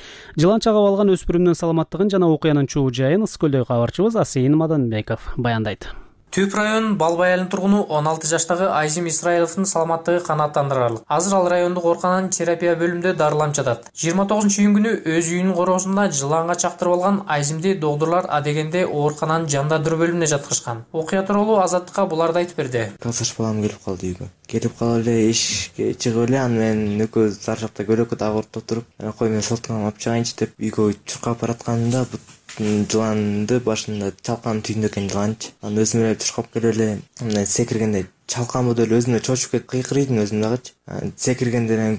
Жылан чагып алган өспүрүмдүн саламаттыгын жана окуянын чоо жайын Ысык көлдөгү кабарчыбыз Асейин Маданбеков баяндайт. Түп район Балбай айылынын тургуну 16 жаштагы Айзим Исраиловдун саламаттыгы канааттандырарлык. Азыр ал райондук оорукананын терапия бөлүмүндө дарыланып жатат. 29-июнь күнү өз үйүнүн короосунда жыланга чактырып алган Айзимди доктурлар адегенде оорукананын жандандыруу бөлүмүнө жаткырышкан. Окуя тууралуу Азаттыкка буларды айтып берди. Касаш балам келип калды үйгө. Келип калып эле эшикке чыгып эле, аны менен экөөбүз заршапта көйрөккө дагы ортоп туруп, кой мен соткамды алып чыгайынчы деп үйгө чуркап баратканымда жыланды башында чалканын түйүндө экен жыланчы. Аны өзүм эле чуркап келип эле мындай секиргенде чалкан болуп эле өзүмө чочуп кетип кыйкырыйдым өзүм дагычы. Секиргенден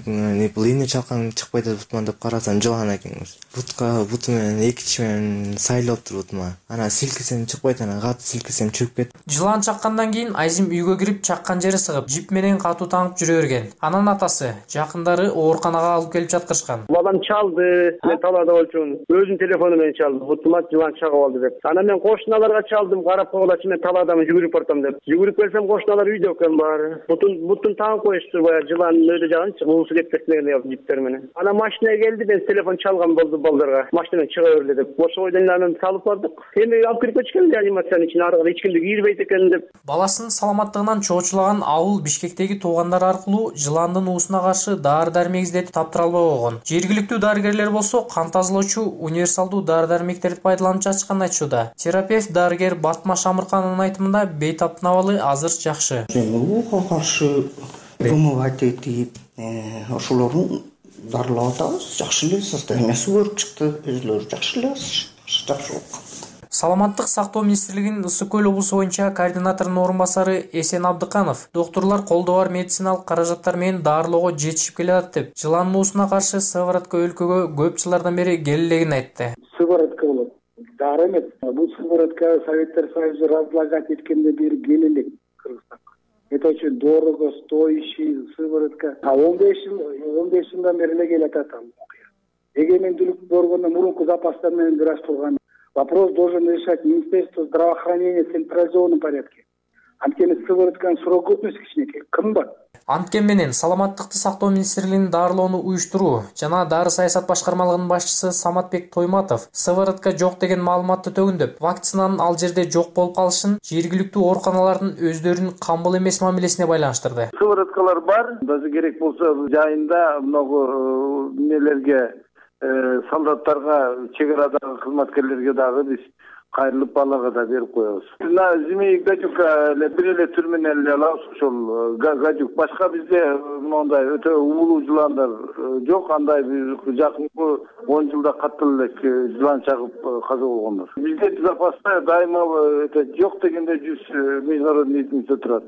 бул эмне чалкан чыкпай атпан деп карасам жылан экен. Буту менен эки тиш менен сайлап туруп бутума. Анан силкисем чыкпайт, анан катуу силкисем чыгып кетти. Жылан чаккандан кийин Айзим үйгө кирип чаккан жери сыгып, жип менен катуу таңып жүрө берген. Анан атасы, жакындары ооруканага алып келип жаткырышкан. Балам чалды, мен талаада болчумун. Өзүнүн телефону менен чалды. Бутума жылан чагып алды деп. Анан мен кошуналарга чалдым, карап койгулачы, мен талаадамын, жүгүрүп бартам деп. Жүгүрүп келсем кошуналар үйдө экен баары. Бутун таңып коюшту, баягы жылан өйдө жагынчы, уусу кетип кеткен жиптер менен. Анан машинага келди, мен телефон чалган болду балдарга. Машинадан чыга берле деп. Ошо бойдон анан салып бардык. Эми алып кирип кетишкен реанимациянын ичине, аркы эч кимди кийирбейт экен деп. Баласынын саламаттыгынан чоочулаган ауыл Бишкектеги туугандары аркылуу жыландын уусуна каршы дары-дармек издетип таптыра албай койгон. Жергиликтүү дарыгерлер болсо кан тазалоочу универсалдуу дары-дармектерди пайдаланып жатышканын айтышууда. Терапевт дарыгер Батма Шамырканын айтымында бейтаптын абалы азыр жакшы. Ууга каршы вымывать этип, ошолорун дарылап атабыз. Жакшы эле состояниясы көрүп чыкты, өзүлөрү жакшы эле, жакшы болуп калды. Саламаттык сактоо министрлигинин Ысык көл облусу боюнча координаторунун орун басары Эсен Абдыканов доктурлар колдоо бар медициналык каражаттар менен дарылоого жетишип келе атат деп, жыландын уусуна каршы сыворотка өлкөгө көп жылдардан бери келелегин айтты. Сыворотка болот. Дары эмес. Бул сыворотка Советтер Союзу разлагать эткенде бери келелек Кыргызстанга. Это очень дорого, стоящий сыворотка. 15 жылдан бери эле келе атат. Эгемендүүлүк боргондо мурунку запастар менен бир аз турган. Вопрос должен решать Министерство здравоохранения в централизованном порядке. Анткени сыворотканын срок годности кичинекей, кымбат. Анткени менен саламаттыкты сактоо министрлигинин дарылоону уюштуруу жана дары саясат башкармалыгынын башчысы Саматбек Тойматов сыворотка жок деген маалыматты төгүндөп, вакцинанын ал жерде жок болуп калышын жергиликтүү ооруканалардын өздөрүнүн камбыл эмес мамилесине байланыштырды. Сывороткалар бар, даже керек болсо жайында много нелерге солдаттарга, чек арадагы кызматкерлерге дагы биз кайрылып балага да берип коебуз. На змеи гадюка бир эле түр менен эле алабыз, ошол гадюк. Башка бизде мондай өтө уулуу жыландар жок. Андай жакынкы 10 жылда катуу эле жылан чагып каза болгондор. Бизде запаста дайыма жок дегенде 100 международный единица турат.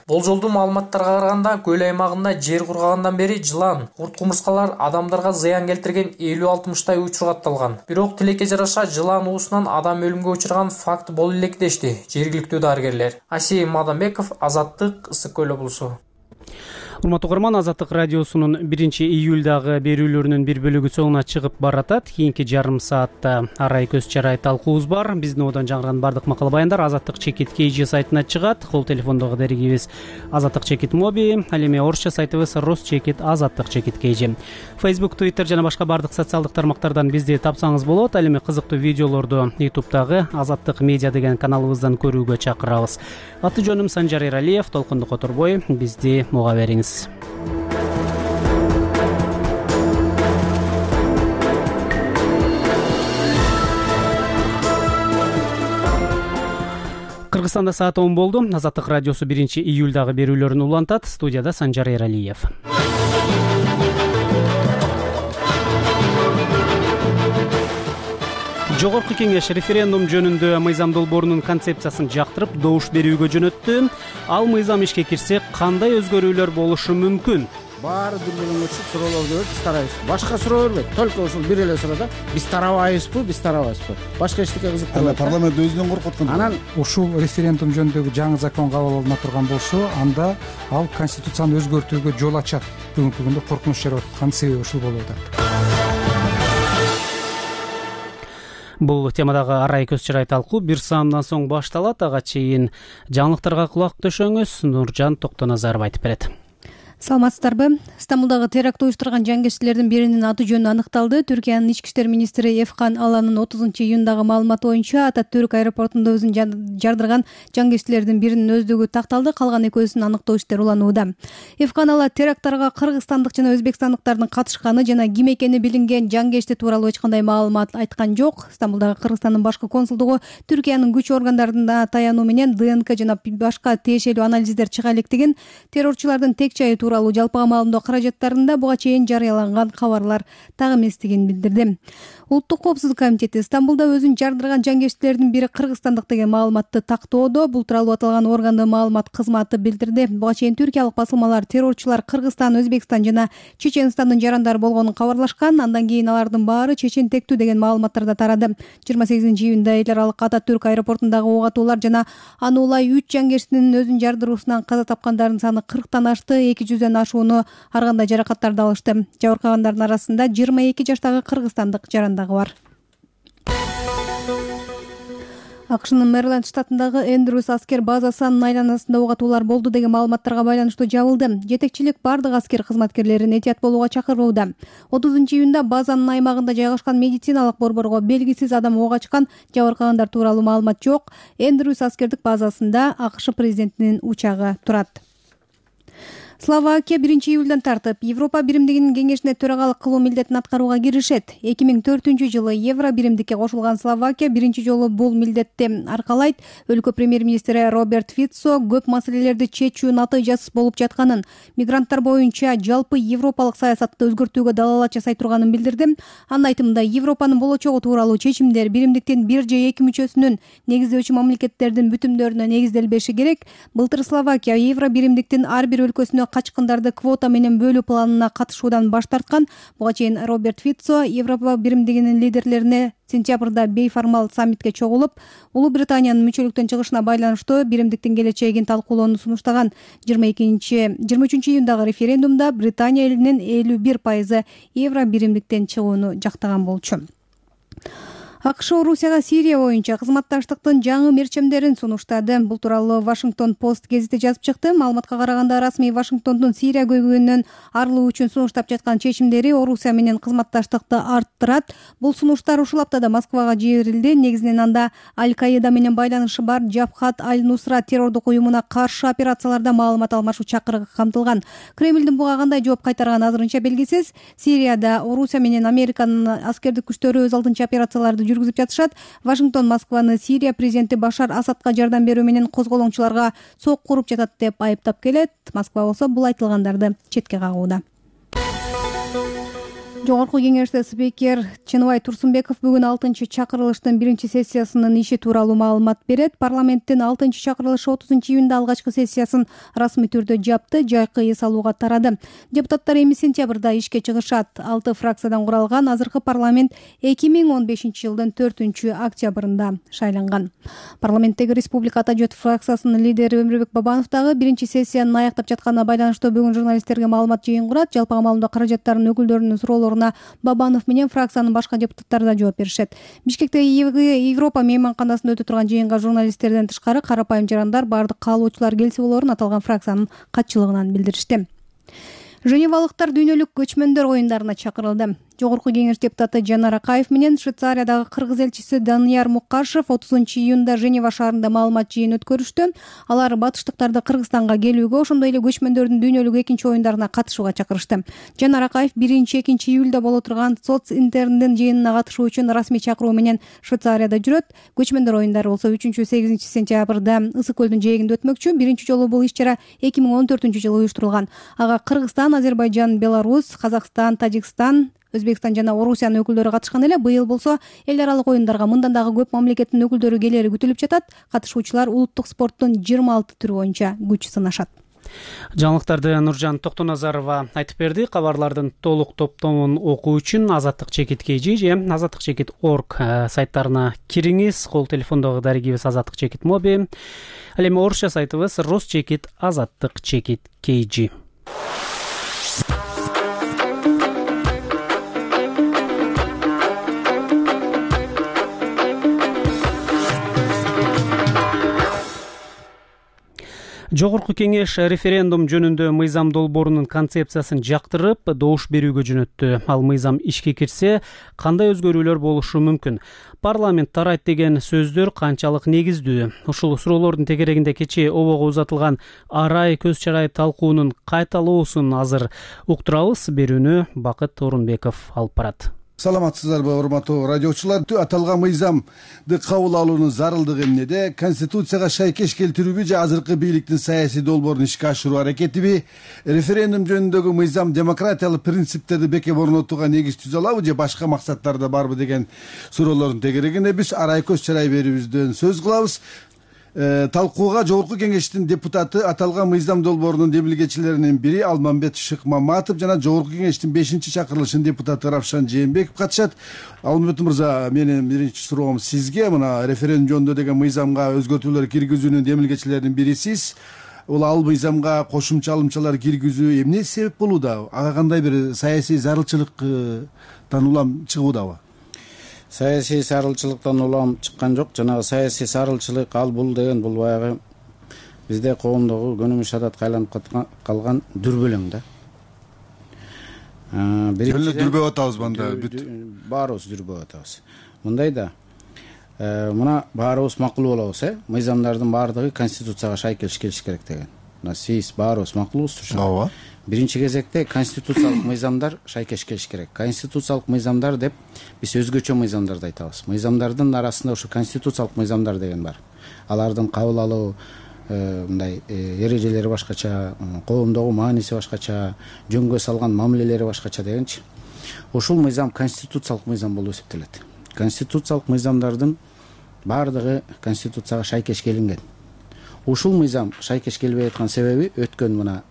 Болжолдуу маалыматтарга караганда көл аймагында жер кургагандан бери жылан, курт кумурскалар адамдарга зыян келтирген 50-60 учур катталган. Бирок тилекке жараша жылан уусунан адам өлүмгө учурган факт боло элек дешти жергиликтүү дарыгерлер. Асейин Маданбеков, Азаттык, Ысык көл облусу. Урматтуу угарман, Азаттык радиосунун 1-июлдагы берүүлөрүнүн бир бөлүгү соңуна чыгып баратат. Кийинки жарым саатта арай көз чарай талкуубуз бар. Биздин одан жаңырган бардык макала баяндар Азаттык чекит KG сайтына чыгат. Кол телефондогу дерегибиз Азаттык чекит моби, ал эми орусча сайтыбыз Росчекит Азаттык чекит KG. Facebook, Twitter жана башка бардык социалдык тармактардан бизди тапсаңыз болот. Ал эми кызыктуу видеолорду YouTube'дагы Азаттык медиа деген каналыбыздан көрүүгө чакырабыз. Аты жөнүм Санжар Эралиев, толкунду которбой. Бизди муга бериңиз. Кыргызстанда саат 10 болду. Азаттык радиосу 1-июлдагы берүүлөрүн улантат. Студияда Санжар Эралиев. Жогорку кеңеш референдум жөнүндө мыйзам долбоорунун концепциясын жактырып, добуш берүүгө жөнөттү. Ал мыйзам ишке кирсе, кандай өзгөрүүлөр болушу мүмкүн? Баары дүрбөлөңгө чыгып суроолорду берип, биз тарайбыз. Башка суроо бербейт. Только ушул бир эле суроодо биз тарабайбызбы, биз тарабайбызбы? Башка эчтеке кызыктырбайт. Парламент өзүнөн коркуп аткан. Анан ушул референдум жөнүндөгү жаңы закон кабыл алына турган болсо, анда ал конституцияны өзгөртүүгө жол ачат. Бүгүнкү күндө коркунуч жаралып аткан себеби ушул болуп атат. Бул темадагы арай көз чарай талкуу бир саамдан соң башталат. Ага чейин жаңылыктарга кулак төшөңүз. Нуржан Токтоназаров айтып берет. Саламатсыздарбы? Стамбулдагы теракт уюштурган жангерчилердин биринин аты жөнү аныкталды. Түркиянын ички иштер министри Эфкан Аланын 30-июндагы маалыматы боюнча Ататүрк аэропортунда өзүн жардырган жангерчилердин биринин өздүгү такталды, калган экөөсүн аныктоо иштери уланууда. Эфкан Ала теракттарга кыргызстандык жана өзбекстандыктардын катышканы жана ким экени билинген жангерчти тууралуу эч кандай маалымат айткан жок. Стамбулдагы Кыргызстандын башкы консулдугу Түркиянын күч органдарына таянуу менен ДНК жана башка тиешелүү анализдер чыга электигин, террорчулардын тек жайы тууралуу жалпыга маалымдоо каражаттарында буга чейин жарыяланган кабарлар так эместигин билдирди. Улуттук коопсуздук комитети Стамбулда өзүн жардырган жангерчилердин бири кыргызстандык деген маалыматты тактоодо. Бул тууралуу аталган органдын маалымат кызматы билдирди. Буга чейин түркиялык басылмалар террорчулар Кыргызстан, Өзбекстан жана Чеченстандын жарандары болгонун кабарлашкан. Андан кийин алардын баары чечентектүү деген маалыматтар да тарады. 28-июнда эл аралык Ататүрк аэропортундагы ок атуулар жана аны улай 3 жангерчинин өзүн жардыруусунан каза тапкандардын саны 40тан ашты. 200дөн ашууну ар кандай жаракаттарды алышты. Жабыркагандардын арасында 22 жаштагы кыргызстандык жарандагы бар. АКШнын Мэриленд штатындагы Эндрюс аскер базасынын айланасында ок атуулар болду деген маалыматтарга байланыштуу жабылды. Жетекчилик бардык аскер кызматкерлерин этият болууга чакырууда. 30-июнда базанын аймагында жайгашкан медициналык борборго белгисиз адам ок ачкан, жабыркагандар тууралуу маалымат жок. Эндрюс аскердик базасында АКШ президентинин учагы турат. Словакия 1-июлдан тартып Европа биримдигинин кеңешине төрагалык кылуу милдетин аткарууга киришет. 2004-жылы Евро биримдикке кошулган Словакия биринчи жолу бул милдетти аркалайт. Өлкө премьер-министри Роберт Фицо көп маселелерди чечүү натыйжасыз болуп жатканын, мигранттар боюнча жалпы европалык саясатты өзгөртүүгө далалат жасай турганын билдирди. Анын айтымында Европанын болочогу тууралуу чечимдер биримдиктин 1 же 2 мүчөсүнүн негиздөөчү мамлекеттердин бүтүмдөрүнө негизделбеши керек. Былтыр Словакия Евро биримдиктин ар бир өлкөсүнө качкындарды квота менен бөлүү планына катышуудан баш тарткан. Буга чейин Роберт Фицо Европа биримдигинин лидерлерине сентябрда бейформал саммитке чогулуп, Улуу Британиянын мүчөлүктөн чыгышына байланыштуу биримдиктин келечегин талкуулоону сунуштаган. 23-июндагы референдумда Британия элинин 51% Евро биримдиктен чыгууну жактаган болчу. АКШ Орусияга Сирия боюнча кызматташтыктын жаңы мерчемдерин сунуштады. Бул тууралуу Вашингтон Пост гезити жазып чыкты. Маалыматка караганда расмий Вашингтондун Сирия көйгөйүнөн арылуу үчүн сунуштап жаткан чечимдери Орусия менен кызматташтыкты арттырат. Бул сунуштар ушул аптада Москвага жиберилди. Негизинен анда Аль-Каида менен байланышы бар Жабхат Аль-Нусра террордук уюмуна каршы операцияларда маалымат алмашуу чакырыгы камтылган. Кремлдин буга кандай жооп кайтарганы азырынча белгисиз. Сирияда Орусия менен Американын аскердик күчтөрү өз алдынча операцияларды жүргүзүп жатышат. Вашингтон Москваны Сирия президенти Башар Асадка жардам берүү менен козголоңчуларга сок куруп жатат деп айыптап келет. Москва болсо бул айтылгандарды четке кагууда. Жогорку кеңеште спикер Чыныбай Турсунбеков бүгүн 6-чакырылыштын 1-сессиясынын иши тууралуу маалымат берет. Парламенттин 6-чакырылышы 30-июнда алгачкы сессиясын расмий түрдө жапты, жайкы эс алууга тарады. Депутаттар эми сентябрда ишке чыгышат. 6 фракциядан куралган азыркы парламент 2015-жылдын 4-октябрында шайланган. Парламенттеги Республика Ата жөт фракциясынын лидери Өмүрбек Бабанов дагы 1-сессияны аяктап жатканына байланыштуу бүгүн журналисттерге маалымат жыйын курат. Жалпы маалыматта каражаттардын өкүлдөрүнүн суроолоруна Бабанов менен фракциянын башка депутаттары да жооп беришет. Бишкектеги Европа мейманканасында өтө турган жыйынга журналисттерден тышкары карапайым жарандар бардык каалоочулар келсе болорун аталган фракциянын катчылыгынан билдиришти. Женевалыктар дүйнөлүк көчмөндөр оюндарына чакырылды. Жогорку кеңеш депутаты Жанар Акаев менен Швейцариядагы кыргыз элчиси Данияр Мукашев 30-июнда Женева шаарында маалымат жыйын өткөрүштү. Алар батыштыктарды Кыргызстанга келүүгө, ошондой эле көчмөндөрдүн дүйнөлүк 2 оюндарына катышууга чакырышты. Жанар Акаев 1-2 июлда боло турган Социнтерндин жыйынына катышуу үчүн расмий чакыруу менен Швейцарияда жүрөт. Көчмөндөр оюндары болсо 3-8 сентябрда Ысык көлдүн жээгинде өтмөкчү. Биринчи жолу бул иш-чара 2014-жылы уюштурулган. Ага Кыргызстан, Азербайжан, Беларусь, Казакстан, Тажикстан, Өзбекстан жана Орусиянын өкүлдөрү катышкан эле. Быйыл болсо эл аралык оюндарга мындан дагы көп мамлекеттин өкүлдөрү келери күтүлүп жатат. Катышуучулар улуттук спорттун 26 түрү боюнча күч сынашат. Жаңылыктарды Нуржан Токтоназарова айтып берди. Кабарлардын толук топтомун окуу үчүн Азаттык чекит KG же Азаттык чекит org сайттарына кириңиз. Кол телефондогу дарегибиз Азаттык чекит моби. Ал эми орусча сайтыбыз Росчекит Азаттык чекит KG. Жогорку кеңеш референдум жөнүндө мыйзам долбоорунун концепциясын жактырып, добуш берүүгө жөнөттү. Ал мыйзам ишке кирсе, кандай өзгөрүүлөр болушу мүмкүн? Парламент тарайт деген сөздөр канчалык негиздүү? Ушул суроолордун тегерегинде кечээ обого узатылган арай көз чарай талкуунун кайталоосун азыр уктурабыз. Берүүнү Бакыт Орунбеков алып барат. Саламатсыздарбы, урматтуу радиочулар? Аталган мыйзамды кабыл алуунун зарылдыгы эмнеде? Конституцияга шайкеш келтирүүбү же азыркы бийликтин саясий долбоорун ишке ашыруу аракетиби? Референдум жөнүндөгү мыйзам демократиялык принциптерди бекем орнотууга негиз түзө алабы же башка максаттарда барбы деген суроолордун тегерегинде биз арай көз чарай берүүбүздөн сөз кылабыз. Талкууга жогорку кеңештин депутаты аталган мыйзам долбоорунун демилгечилеринин бири Алмамбет Шыкмаматов жана жогорку кеңештин 5-чакырылышынын депутаты Равшан Жээнбеков катышат. Алмамбет мырза, менин биринчи суроом сизге. Мына референдум жөнүндө деген мыйзамга өзгөртүүлөр киргизүүнүн демилгечилеринин бирисиз. Ал мыйзамга кошумча алымчалар киргизүү эмне себеп болууда? Ага кандай бир саясий зарылчылыктан улам чыгуудабы? Саясий зарылчылыктан улам чыккан жок. Жанагы саясий зарылчылык ал бул деген бул баягы бизде коомдогу көнүмүш адатка айланып калган дүрбөлөң да. Дүрбөп атабыз мында бүт. Баарыбыз дүрбөп атабыз. Мындай да. Мына баарыбыз макул болобуз, мыйзамдардын баардыгы конституцияга шайкеш келиш керек деген. Мына сиз баарыбыз макулбуз. Ооба. Биринчи кезекте конституциялык мыйзамдар шайкеш келиш керек. Конституциялык мыйзамдар деп биз өзгөчө мыйзамдарды айтабыз. Мыйзамдардын арасында ушу конституциялык мыйзамдар деген бар. Алардын кабыл алуу мындай эрежелери башкача, коомдогу мааниси башкача, жөнгө салган мамилелери башкача дегенчи. Ушул мыйзам конституциялык мыйзам болуп эсептелет. Конституциялык мыйзамдардын баардыгы конституцияга шайкеш келинген. Ушул мыйзам шайкеш келбей аткан себеби өткөн мына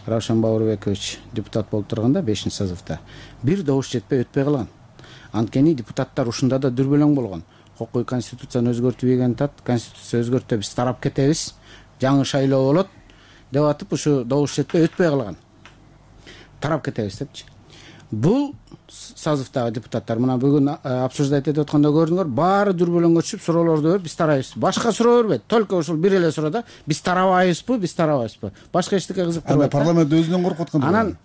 Равшан Баурбекович депутат болуп турганда 5-созывда бир добуш жетпей өтпөй калган. Анткени депутаттар ушунда да дүрбөлөң болгон. Кокуй конституцияны өзгөртүбөгөн тат, конституция өзгөртүп биз тарап кетебиз, жаңы шайлоо болот деп атып ушу добуш жетпей өтпөй калган. Тарап кетебиз депчи. Бул созывдагы депутаттар мына бүгүн обсуждать этип атканда көрдүңөр, баары дүрбөлөңгө түшүп суроолорду берип биз тарайбыз. Башка суроо бербейт. Только ушул бир эле суроодо биз тарабайбызбы, биз тарабайбызбы? Башка эчтеке кызыктырбайт. Парламент өзүнөн коркуп аткан. Анан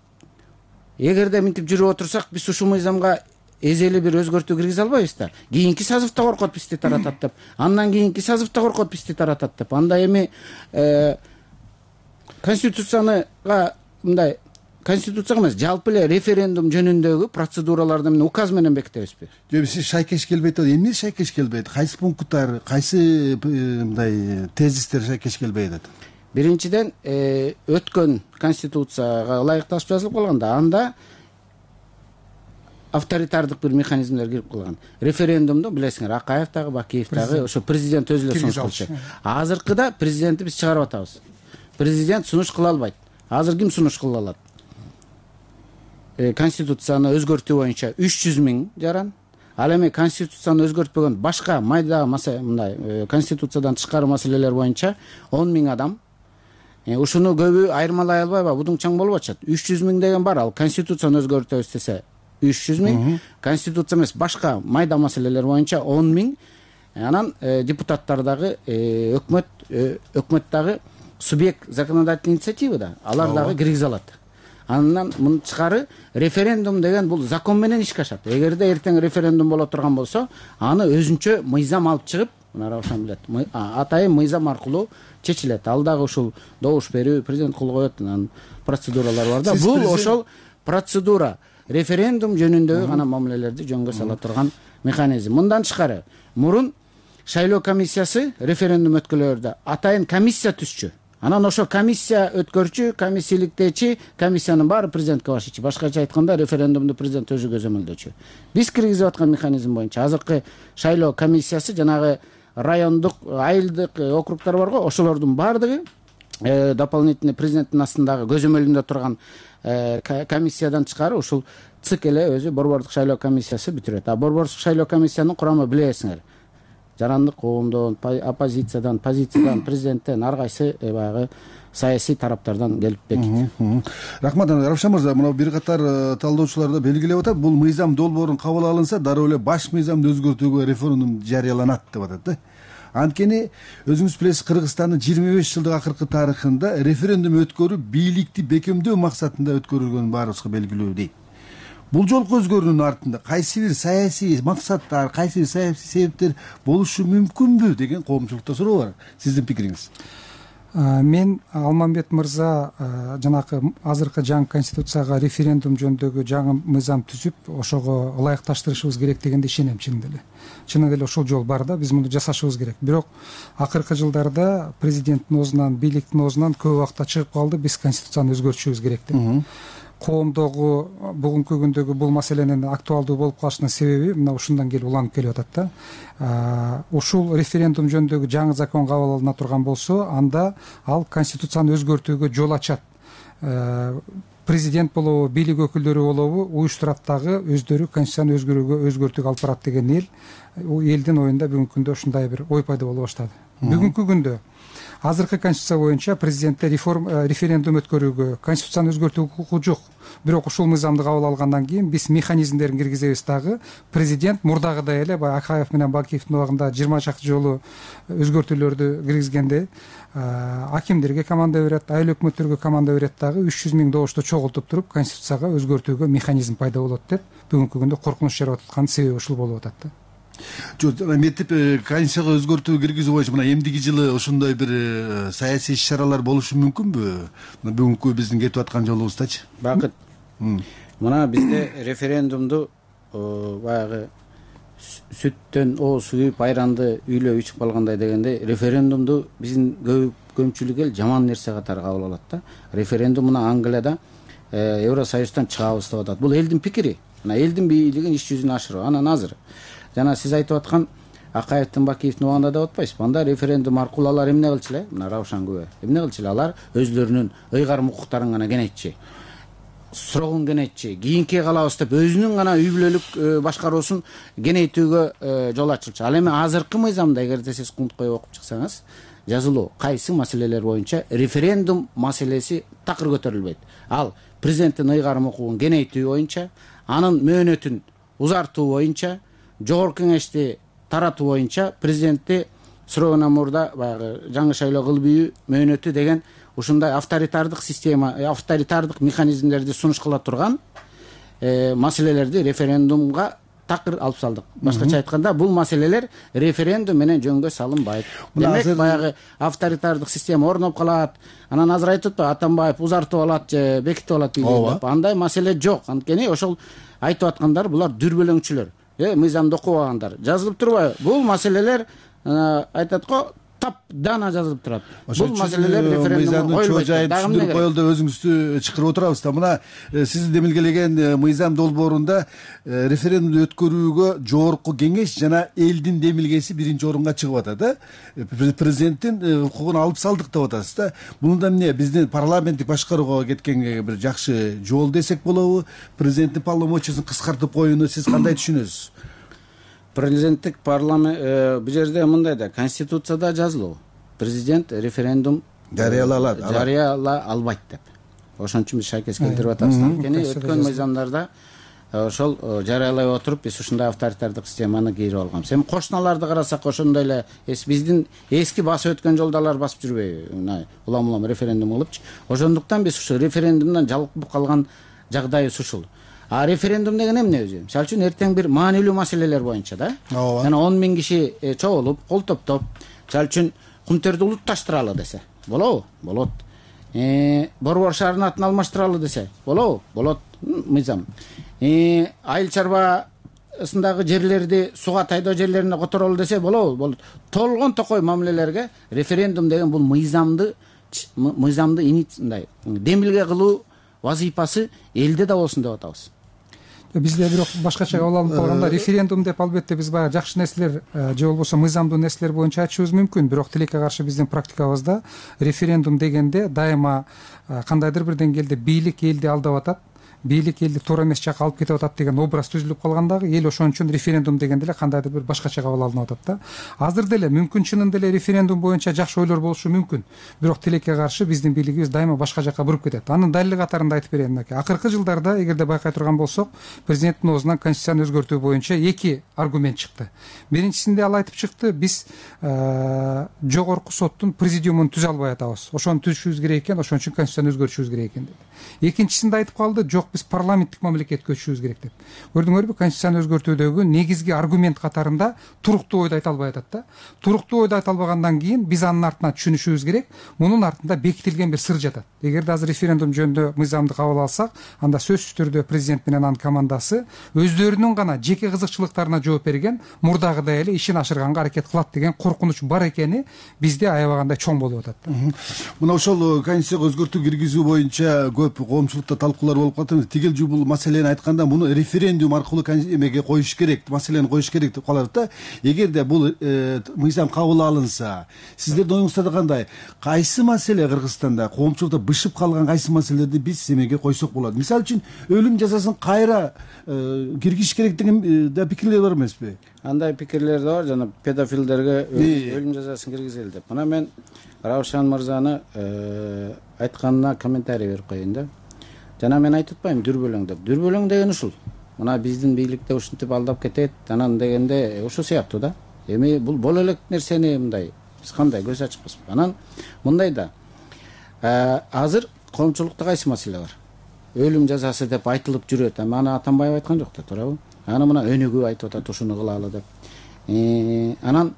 эгерде мынтип жүрүп отурсак, биз ушул мыйзамга эзели бир өзгөртүү киргизе албайбыз да. Кийинки созывда коркот бизди таратат деп, андан кийинки созывда коркот бизди таратат деп. Анда эми конституцияга мындай конституцияга эмес, жалпы эле референдум жөнүндөгү процедураларды мен указ менен бекитебизби? Жок, сиз шайкеш келбейт деп, эмне шайкеш келбейт? Кайсы пункттар, кайсы мындай тезистер шайкеш келбейт деп? Биринчиден, өткөн конституцияга ылайыкташып жазылып калганда, анда авторитардык бир механизмдер кирип калган. Референдумду билесиңер, Акаев дагы, Бакиев дагы ошо президент өзү эле сунуш кылчу. Азыркыда президентти биз чыгарып атабыз. Президент сунуш кыла албайт. Азыр ким сунуш кыла алат? Конституцияны өзгөртүү боюнча 300 000 жаран. Ал эми конституцияны өзгөртпөгөн башка майда мындай конституциядан тышкары маселелер боюнча 10 000 адам. Ушуну көбү айырмалай албайбы? Будуңчаң болуп атышат. 300 000 деген бар, ал конституцияны өзгөртөбүз десе 300 000, конституция эмес башка майда маселелер боюнча 10 000. Анан депутаттар дагы өкмөт дагы субъект законодательной инициативы да, алар дагы киргизе алат. Андан мындан тышкары референдум деген бул закон менен ишке ашат. Эгерде эртең референдум боло турган болсо, аны өзүнчө мыйзам алып чыгып, мына Раушан билет, атайын мыйзам аркылуу чечилет. Ал дагы ушул добуш берүү, президент кол коет, анан процедуралар бар да. Бул ошол процедура, референдум жөнүндөгү гана мамилелерди жөнгө сала турган механизм. Мындан тышкары мурун шайлоо комиссиясы референдум өткөрүлөрдө атайын комиссия түзчү. Анан ошо комиссия өткөрчү, комиссияликтечи, комиссиянын баары президентке башчы. Башкача айтканда референдумду президент өзү көзөмөлдөчү. Биз киргизип аткан механизм боюнча азыркы шайлоо комиссиясы жанагы райондук, айылдык округтар бар го, ошолордун баардыгы дополнительный президенттин астындагы көзөмөлүндө турган комиссиядан тышкары ушул ЦИК эле өзү борбордук шайлоо комиссиясы бүтүрөт. Борбордук шайлоо комиссиянын курамы билесиңер. Жарандык коомдон, оппозициядан, позициядан, президенттен, ар кайсы баягы саясий тараптардан келип бекит. Рахмат, Равшан мырза, мына бир катар талдоочулар да белгилеп атат, бул мыйзам долбоорун кабыл алынса, дароо эле баш мыйзамды өзгөртүүгө референдум жарыяланат деп атат да. Анткени өзүңүз билесиз, Кыргызстандын 25 жылдык акыркы тарыхында референдум өткөрүү бийликти бекемдөө максатында өткөрүлгөнүн баарыбызга белгилүү дейт. Бул жолку өзгөрүүнүн артында кайсы бир саясий максаттар, кайсы бир саясий себептер болушу мүмкүнбү деген коомчулукта суроо бар. Сиздин пикириңиз? Мен Алмамбет мырза жанакы азыркы жаңы конституцияга референдум жөнүндөгү жаңы мыйзам түзүп, ошого ылайыкташтырышыбыз керек дегенде ишенем чынында эле. Чынында эле ошол жол бар да, биз муну жасашыбыз керек. Бирок акыркы жылдарда президенттин оозунан, бийликтин оозунан көп убакта чыгып калды, биз конституцияны өзгөртүшүбүз керек деп. Коомдогу бүгүнкү күндөгү бул маселенин актуалдуу болуп калышынын себеби мына ушундан келип уланып келип атат да. Ушул референдум жөнүндөгү жаңы закон кабыл алына турган болсо, анда ал конституцияны өзгөртүүгө жол ачат. Президент болобу, бийлик өкүлдөрү болобу уюштурат дагы өздөрү конституцияны өзгөртүүгө алып барат деген элдин оюнда бүгүнкү күндө ушундай бир ой пайда боло баштады. Бүгүнкү күндө азыркы конституция боюнча президентте референдум өткөрүүгө, конституцияны өзгөртүүгө укугу жок. Бирок ушул мыйзамды кабыл алгандан кийин биз механизмдерин киргизебиз дагы. Президент мурдагыдай эле баягы Акаев менен Бакиевдин убагында 20 чакты жолу өзгөртүүлөрдү киргизгенде акимдерге команда берет, айыл өкмөттөргө команда берет дагы 300 000 добушту чогултуп туруп конституцияга өзгөртүүгө механизм пайда болот деп бүгүнкү күндө коркунуч жарап аткан себеби ушул болуп атат да. Жок, мектеп конституцияга өзгөртүү киргизүү боюнча мына эмдиги жылы ошондой бир саясий иш-чаралар болушу мүмкүнбү? Бүгүнкү биздин кетип аткан жолубуздачы. Бакыт. Мына бизде референдумду баягы сүттөн ооз үйүп, айранды үйлөп ичип калгандай дегенде, референдумду биздин көпчүлүк эл жаман нерсе катары кабыл алат да. Референдум мына Англияда Евросоюздан чыгабыз деп атат. Бул элдин пикири. Мына элдин бийлигин иш жүзүнө ашыруу. Анан азыр жана сиз айтып аткан Акаевдин, Бакиевдин убагында деп атпайсызбы? Анда референдум аркылуу алар эмне кылчу эле? Мына Раушан күбө. Эмне кылчу эле? Алар өзлөрүнүн ыйгарым укуктарын гана кенетчи. Сурогун кенетчи. Кийинки калабыз деп өзүнүн гана үй бүлөлүк башкаруусун кенейтүүгө жол ачылчу. Ал эми азыркы мыйзамда эгерде сиз кунткой окуп чыксаңыз, жазылуу кайсы маселелер боюнча референдум маселеси такыр көтөрүлбөйт. Ал президенттин ыйгарым укугун кенейтүү боюнча, анын мөөнөтүн узартуу боюнча, жогорку кеңешти таратуу боюнча президентти суроондон мурда баягы жаңы шайлоо кылбоо мөөнөтү деген ушундай авторитардык система, авторитардык механизмдерди сунуш кыла турган маселелерди референдумга такыр алып салдык. Башкача айтканда, бул маселелер референдум менен жөнгө салынбайт. Демек, баягы авторитардык система орноп калат. Анан азыр айтып атпайбы, Атамбаев узартып алат же бекитип алат деп. Андай маселе жок. Анткени ошол айтып аткандар булар дүрбөлөңчүлөр. Мыйзамды окубагандар. Жазылып турбайбы? Бул маселелер айтат го, таптана жазылып турат. Бул маселелер референдумга чоо жайын түшүндүрүп коелу деп өзүңүздү чакырып отурабыз да. Мына сиз демилгелеген мыйзам долбоорунда референдумду өткөрүүгө жогорку кеңеш жана элдин демилгеси биринчи орунга чыгып атат да. Президенттин укугун алып салдык деп атасыз да. Буну да эмне биздин парламенттик башкарууга кеткенге бир жакшы жол десек болобу? Президенттин полномочиясын кыскартып коюуну сиз кандай түшүнөсүз? Президенттик парламент бул жерде мындай да, конституцияда жазылуу. Президент референдум жарыяла албайт деп. Ошон үчүн биз шайкес келтирип атабыз. Анткени өткөн мыйзамдарда ошол жарыялай отуруп биз ушундай авторитардык системаны кийирип алганбыз. Эми кошуналарды карасак ошондой эле биздин эски басып өткөн жолдалар басып жүрбөйбү? Улам референдум кылыпчы. Ошондуктан биз ушу референдумдан жалкып калган жагдайыбыз ушул. А референдум деген эмне өзү? Мисалы үчүн эртең бир маанилүү маселелер боюнча да. Жана 10 000 киши чогулуп, кол топтоп, мисалы үчүн Кумтөрдү улутташтыралы десе, болобу? Болот. Борбор шаарынын атын алмаштыралы десе, болобу? Болот. Мыйзам. Айыл чарбасындагы жерлерди сууга тайдоо жерлерине которолу десе, болобу? Болот. Толгон токой мамилелерге референдум деген бул мыйзамды мындай демилге кылуу вазыйпасы элде да болсун деп атабыз. Бизде бирок башкача кабыл алынып калганда референдум деп албетте биз баягы жакшы нерселер же болбосо мыйзамдуу нерселер боюнча айтышыбыз мүмкүн. Бирок тилекке каршы биздин практикабызда референдум дегенде дайыма кандайдыр бир деңгээлде бийлик элди алдап атат, бийлик элди туура эмес жакка алып кетип атат деген образ түзүлүп калган дагы эл ошон үчүн референдум дегенде эле кандайдыр бир башкача кабыл алынып атат да. Азыр деле мүмкүн чынында эле референдум боюнча жакшы ойлор болушу мүмкүн. Бирок тилекке каршы биздин бийлигибиз дайыма башка жакка буруп кетет. Анын далили катарында айтып берейин мынакей. Акыркы жылдарда эгерде байкай турган болсок, президенттин оозунан конституцияны өзгөртүү боюнча эки аргумент чыкты. Биринчисинде ал айтып чыкты, биз жогорку соттун президиумун түзө албай атабыз. Ошону түзүшүбүз керек экен, ошон үчүн конституцияны өзгөртүшүбүз керек экен деп. Экинчисинде айтып калды, жок, биз парламенттик мамлекетке көчүшүбүз керек деп. Көрдүңөрбү, конституцияны өзгөртүүдөгү негизги аргумент катарында туруктуу ойду айта албай атат да. Туруктуу ойду айта албагандан кийин биз анын артынан түшүнүшүбүз керек, мунун артында бекитилген бир сыр жатат. Эгерде азыр референдум жөнүндө мыйзамды кабыл алсак, анда сөзсүз түрдө президент менен анын командасы өздөрүнүн гана жеке кызыкчылыктарына жооп берген, мурдагыдай эле ишин ашырганга аракет кылат деген коркунуч бар экени бизде аябагандай чоң болуп атат. Мына ошол конституцияга өзгөртүү киргизүү боюнча көп коомчулукта талкуулар болуп калат. Тигил бул маселени айтканда муну референдум аркылуу эмеге коюш керек, маселени коюш керек деп калат да. Эгерде бул мыйзам кабыл алынса, сиздердин оюңузда кандай? Кайсы маселе Кыргызстанда коомчулукта бышып калган кайсы маселелерди биз эмеге койсок болот? Мисалы үчүн өлүм жазасын кайра киргизиш керек деген да пикирлер бар эмеспи? Андай пикирлер да бар, жана педофилдерге өлүм жазасын киргизели деп. Мына мен Раушан мырзаны айтканына комментарий берип коеюн да. Жана мен айтып атпайм дүрбөлөң деп. Дүрбөлөң деген ушул. Мына биздин бийликте ушинтип алдап кетет, анан дегенде ушул сыяктуу да. Эми бул боло элек нерсени мындай биз кандай көз ачпызбы? Анан мындай да. Азыр коомчулукта кайсы маселе бар? Өлүм жазасы деп айтылып жүрөт. Аны Атамбаев айткан жок да, туурабы? Аны мына өнүгүү айтып атат, ушуну кылалы деп. Анан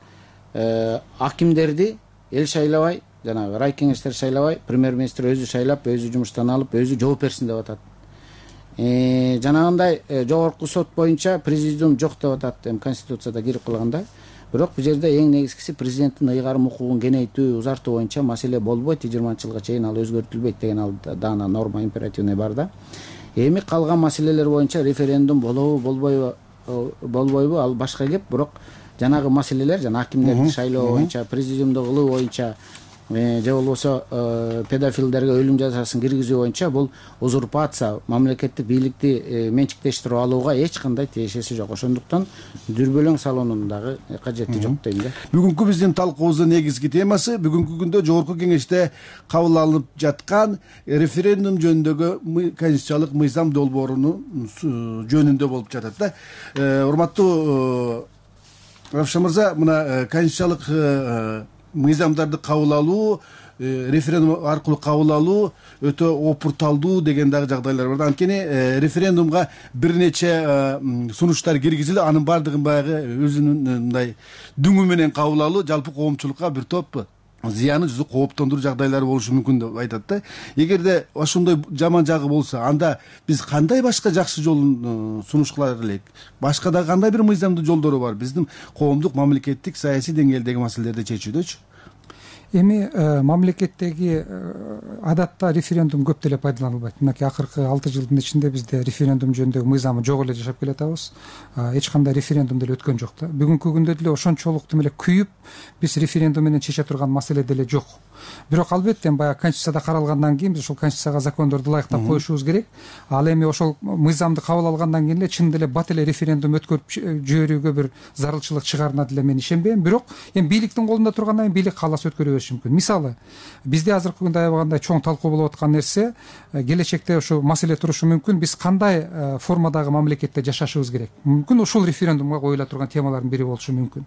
акимдерди эл шайлабай, жанагы рай кеңештер шайлабай, премьер-министр өзү шайлап, өзү жумуштан алып, өзү жооп берсин деп атат. Жанагындай жогорку сот боюнча президиум жок деп атат, эми конституцияда кирип калганда. Бирок бул жерде эң негизгиси президенттин ыйгарым укугун кеңейтүү, узартуу боюнча маселе болбойт, 20-жылга чейин ал өзгөртүлбөйт деген ал даана норма императивный бар да. Эми калган маселелер боюнча референдум болобу, болбойбу, ал башка кеп, бирок жанагы маселелер, жана акимдерди шайлоо боюнча, президиумду кылуу боюнча, же болбосо педофилдерге өлүм жазасын киргизүү боюнча бул узурпация, мамлекеттик бийликти менчиктештирип алууга эч кандай тиешеси жок. Ошондуктан дүрбөлөң салуунун дагы кажети жок дейм да. Бүгүнкү биздин талкуубуздун негизги темасы бүгүнкү күндө жогорку кеңеште кабыл алынып жаткан референдум жөнүндөгү конституциялык мыйзам долбоорунун жөнүндө болуп жатат да. Урматтуу Равшан мырза, мына конституциялык мыйзамдарды кабыл алуу, референдум аркылуу кабыл алуу өтө опурталдуу деген дагы жагдайлар бар. Анткени референдумга бир нече сунуштар киргизилип, анын баардыгын баягы өзүнүн мындай дүңү менен кабыл алуу жалпы коомчулукка бир топ зыяны жүзү кооптондуруу жагдайлары болушу мүмкүн деп айтат да. Эгерде ошондой жаман жагы болсо, анда биз кандай башка жакшы жолун сунуш кылар элек? Башка да кандай бир мыйзамдуу жолдору бар биздин коомдук, мамлекеттик, саясий деңгээлдеги маселелерди чечүүдөчү? Эми мамлекеттеги адатта референдум көп деле пайдаланылбайт. Мынакей акыркы 6 жылдын ичинде бизде референдум жөнүндөгү мыйзамы жок эле жашап келатабыз. Эч кандай референдум деле өткөн жок да. Бүгүнкү күндө деле ошончолук эле күйүп, биз референдум менен чече турган маселе деле жок. Бирок албетте баягы конституцияда каралгандан кийин биз ошол конституцияга закондорду ылайыктап коюшубуз керек. Ал эми ошол мыйзамды кабыл алгандан кийин эле чын деле бат эле референдум өткөрүп жиберүүгө бир зарылчылык чыгарына деле мен ишенбейм. Бирок эми бийликтин колунда тургандан кийин бийлик кааласа өткөрө бериши мүмкүн. Мисалы, бизде азыркы күндө аябагандай чоң талкуу болуп аткан нерсе, келечекте ушул маселе турушу мүмкүн. Биз кандай формадагы мамлекетте жашашыбыз керек? Мүмкүн ушул референдумга коюла турган темалардын бири болушу мүмкүн.